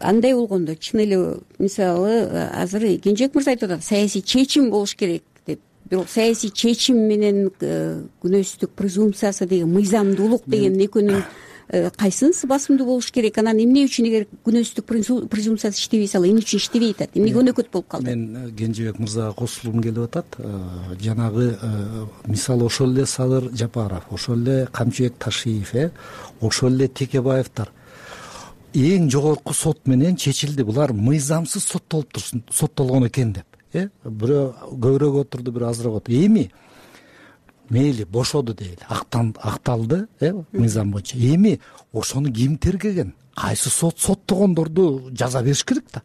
Андай болгондо чын эле мисалы азыр Кенжебек мырза айтып атат, саясий чечим болуш керек деп. Бирок саясий чечим менен күнөөсүздүк презумпциясы деген, мыйзамдуулук деген экөөнүн кайсынысы басымдуу болуш керек? Анан эмне үчүн эгер күнөөсүздүк презумпциясы иштебей салса, эмне үчүн иштебей атат? Эмнеге өнөкөт болуп калды? Мен Кенжебек мырзага кошулгум келип атат. Жанагы мисалы ошол эле Садыр Жапаров, ошол эле Камчыбек Ташиев, ошол эле Текебаевдер эң жогорку сот менен чечилди. Булар мыйзамсыз соттолуп турсун, соттолгон экен деп. Э, бирөө көбүрөөк отурду, бирөө азыраак отурду. Эми мейли бошоду дейли, акталды, э, мыйзам боюнча. Эми ошону ким тергеген? Кайсы сот соттогондорду жаза бериш керек да.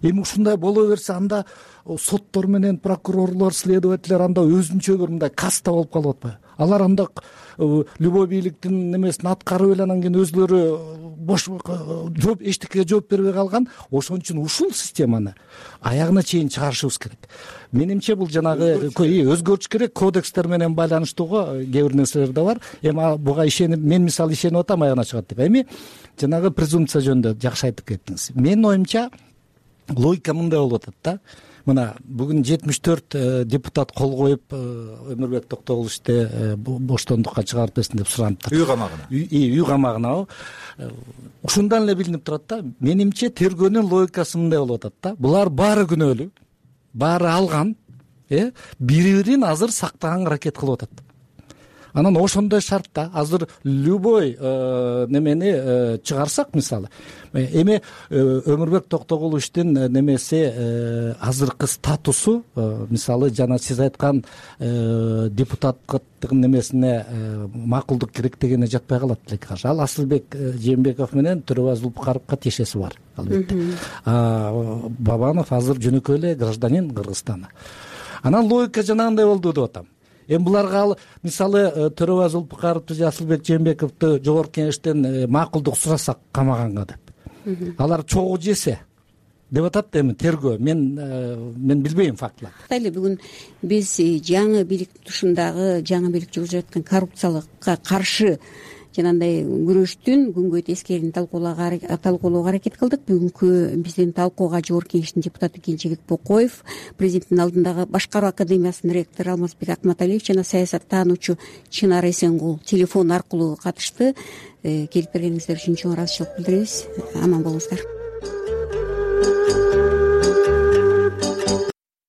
эми ушундай боло берсе анда соттор менен прокурорлор, следовательдер анда өзүнчө бир мындай каста болуп калып атпайбы? Алар анда любой бийликтин немесин аткарып эле анан кийин өзүлөрү бош жооп эчтекеге жооп бербей калган. Ошон үчүн ушул системаны аягына чейин чыгарышыбыз керек. Менимче бул жанагы өзгөртүш керек, кодекстер менен байланыштууга кээ бир нерселер да бар. Эми буга ишенип, мен мисалы ишенип атам аягына чыгат деп. Эми жанагы презумпция жөнүндө жакшы айтып кеттиңиз. Менин оюмча логика мындай болуп атат да. Мына бүгүн жетимиш төрт депутат кол коюп Өмүрбек Токтогуловичти боштондукка чыгарып берсин деп сураныптыр. Үй камагына. Үй камагына. Ушундан эле билинип турат да. Менимче тергөөнүн логикасы мындай болуп атат да. Булар баары күнөөлүү, баары алган, э, бири-бирин азыр сактаганга аракет кылып атат. Анан ошондой шартта азыр любой немени чыгарсак, мисалы, эми Өмүрбек Токтогуловичтин немеси азыркы статусу, мисалы жана сиз айткан депутаттык немесине макулдук керек дегене жатпай калат элекке каршы. Ал Асылбек Жээнбеков менен Төрөбай Зулпукаровго тиешеси бар, албетте. Бабанов азыр жөнөкөй эле гражданин Кыргызстана. Анан логика жанагындай болду деп атам. Эми буларга ал мисалы Төрөбай Зулпукаровду же Асылбек Жээнбековду жогорку кеңештен макулдук сурасак камаганга деп. Алар чогуу жесе деп атат эми тергөө. Мен мен билбейм фактыларды. Эле бүгүн биз жаңы бийлик тушундагы жаңы бийлик жүргүзүп жаткан коррупциялыкка каршы жанагындай күрөштүн күнгөй тескерин талкуулоого аракет кылдык. Бүгүнкү биздин талкууга жогорку кеңештин депутаты Кенжебек Бокоев, президенттин алдындагы башкаруу академиясынын ректору Алмазбек Акматалиев жана саясаттануучу Чынар Эсенгул телефон аркылуу катышты. Келип бергениңиздер үчүн чоң ыраазычылык билдиребиз. Аман болуңуздар.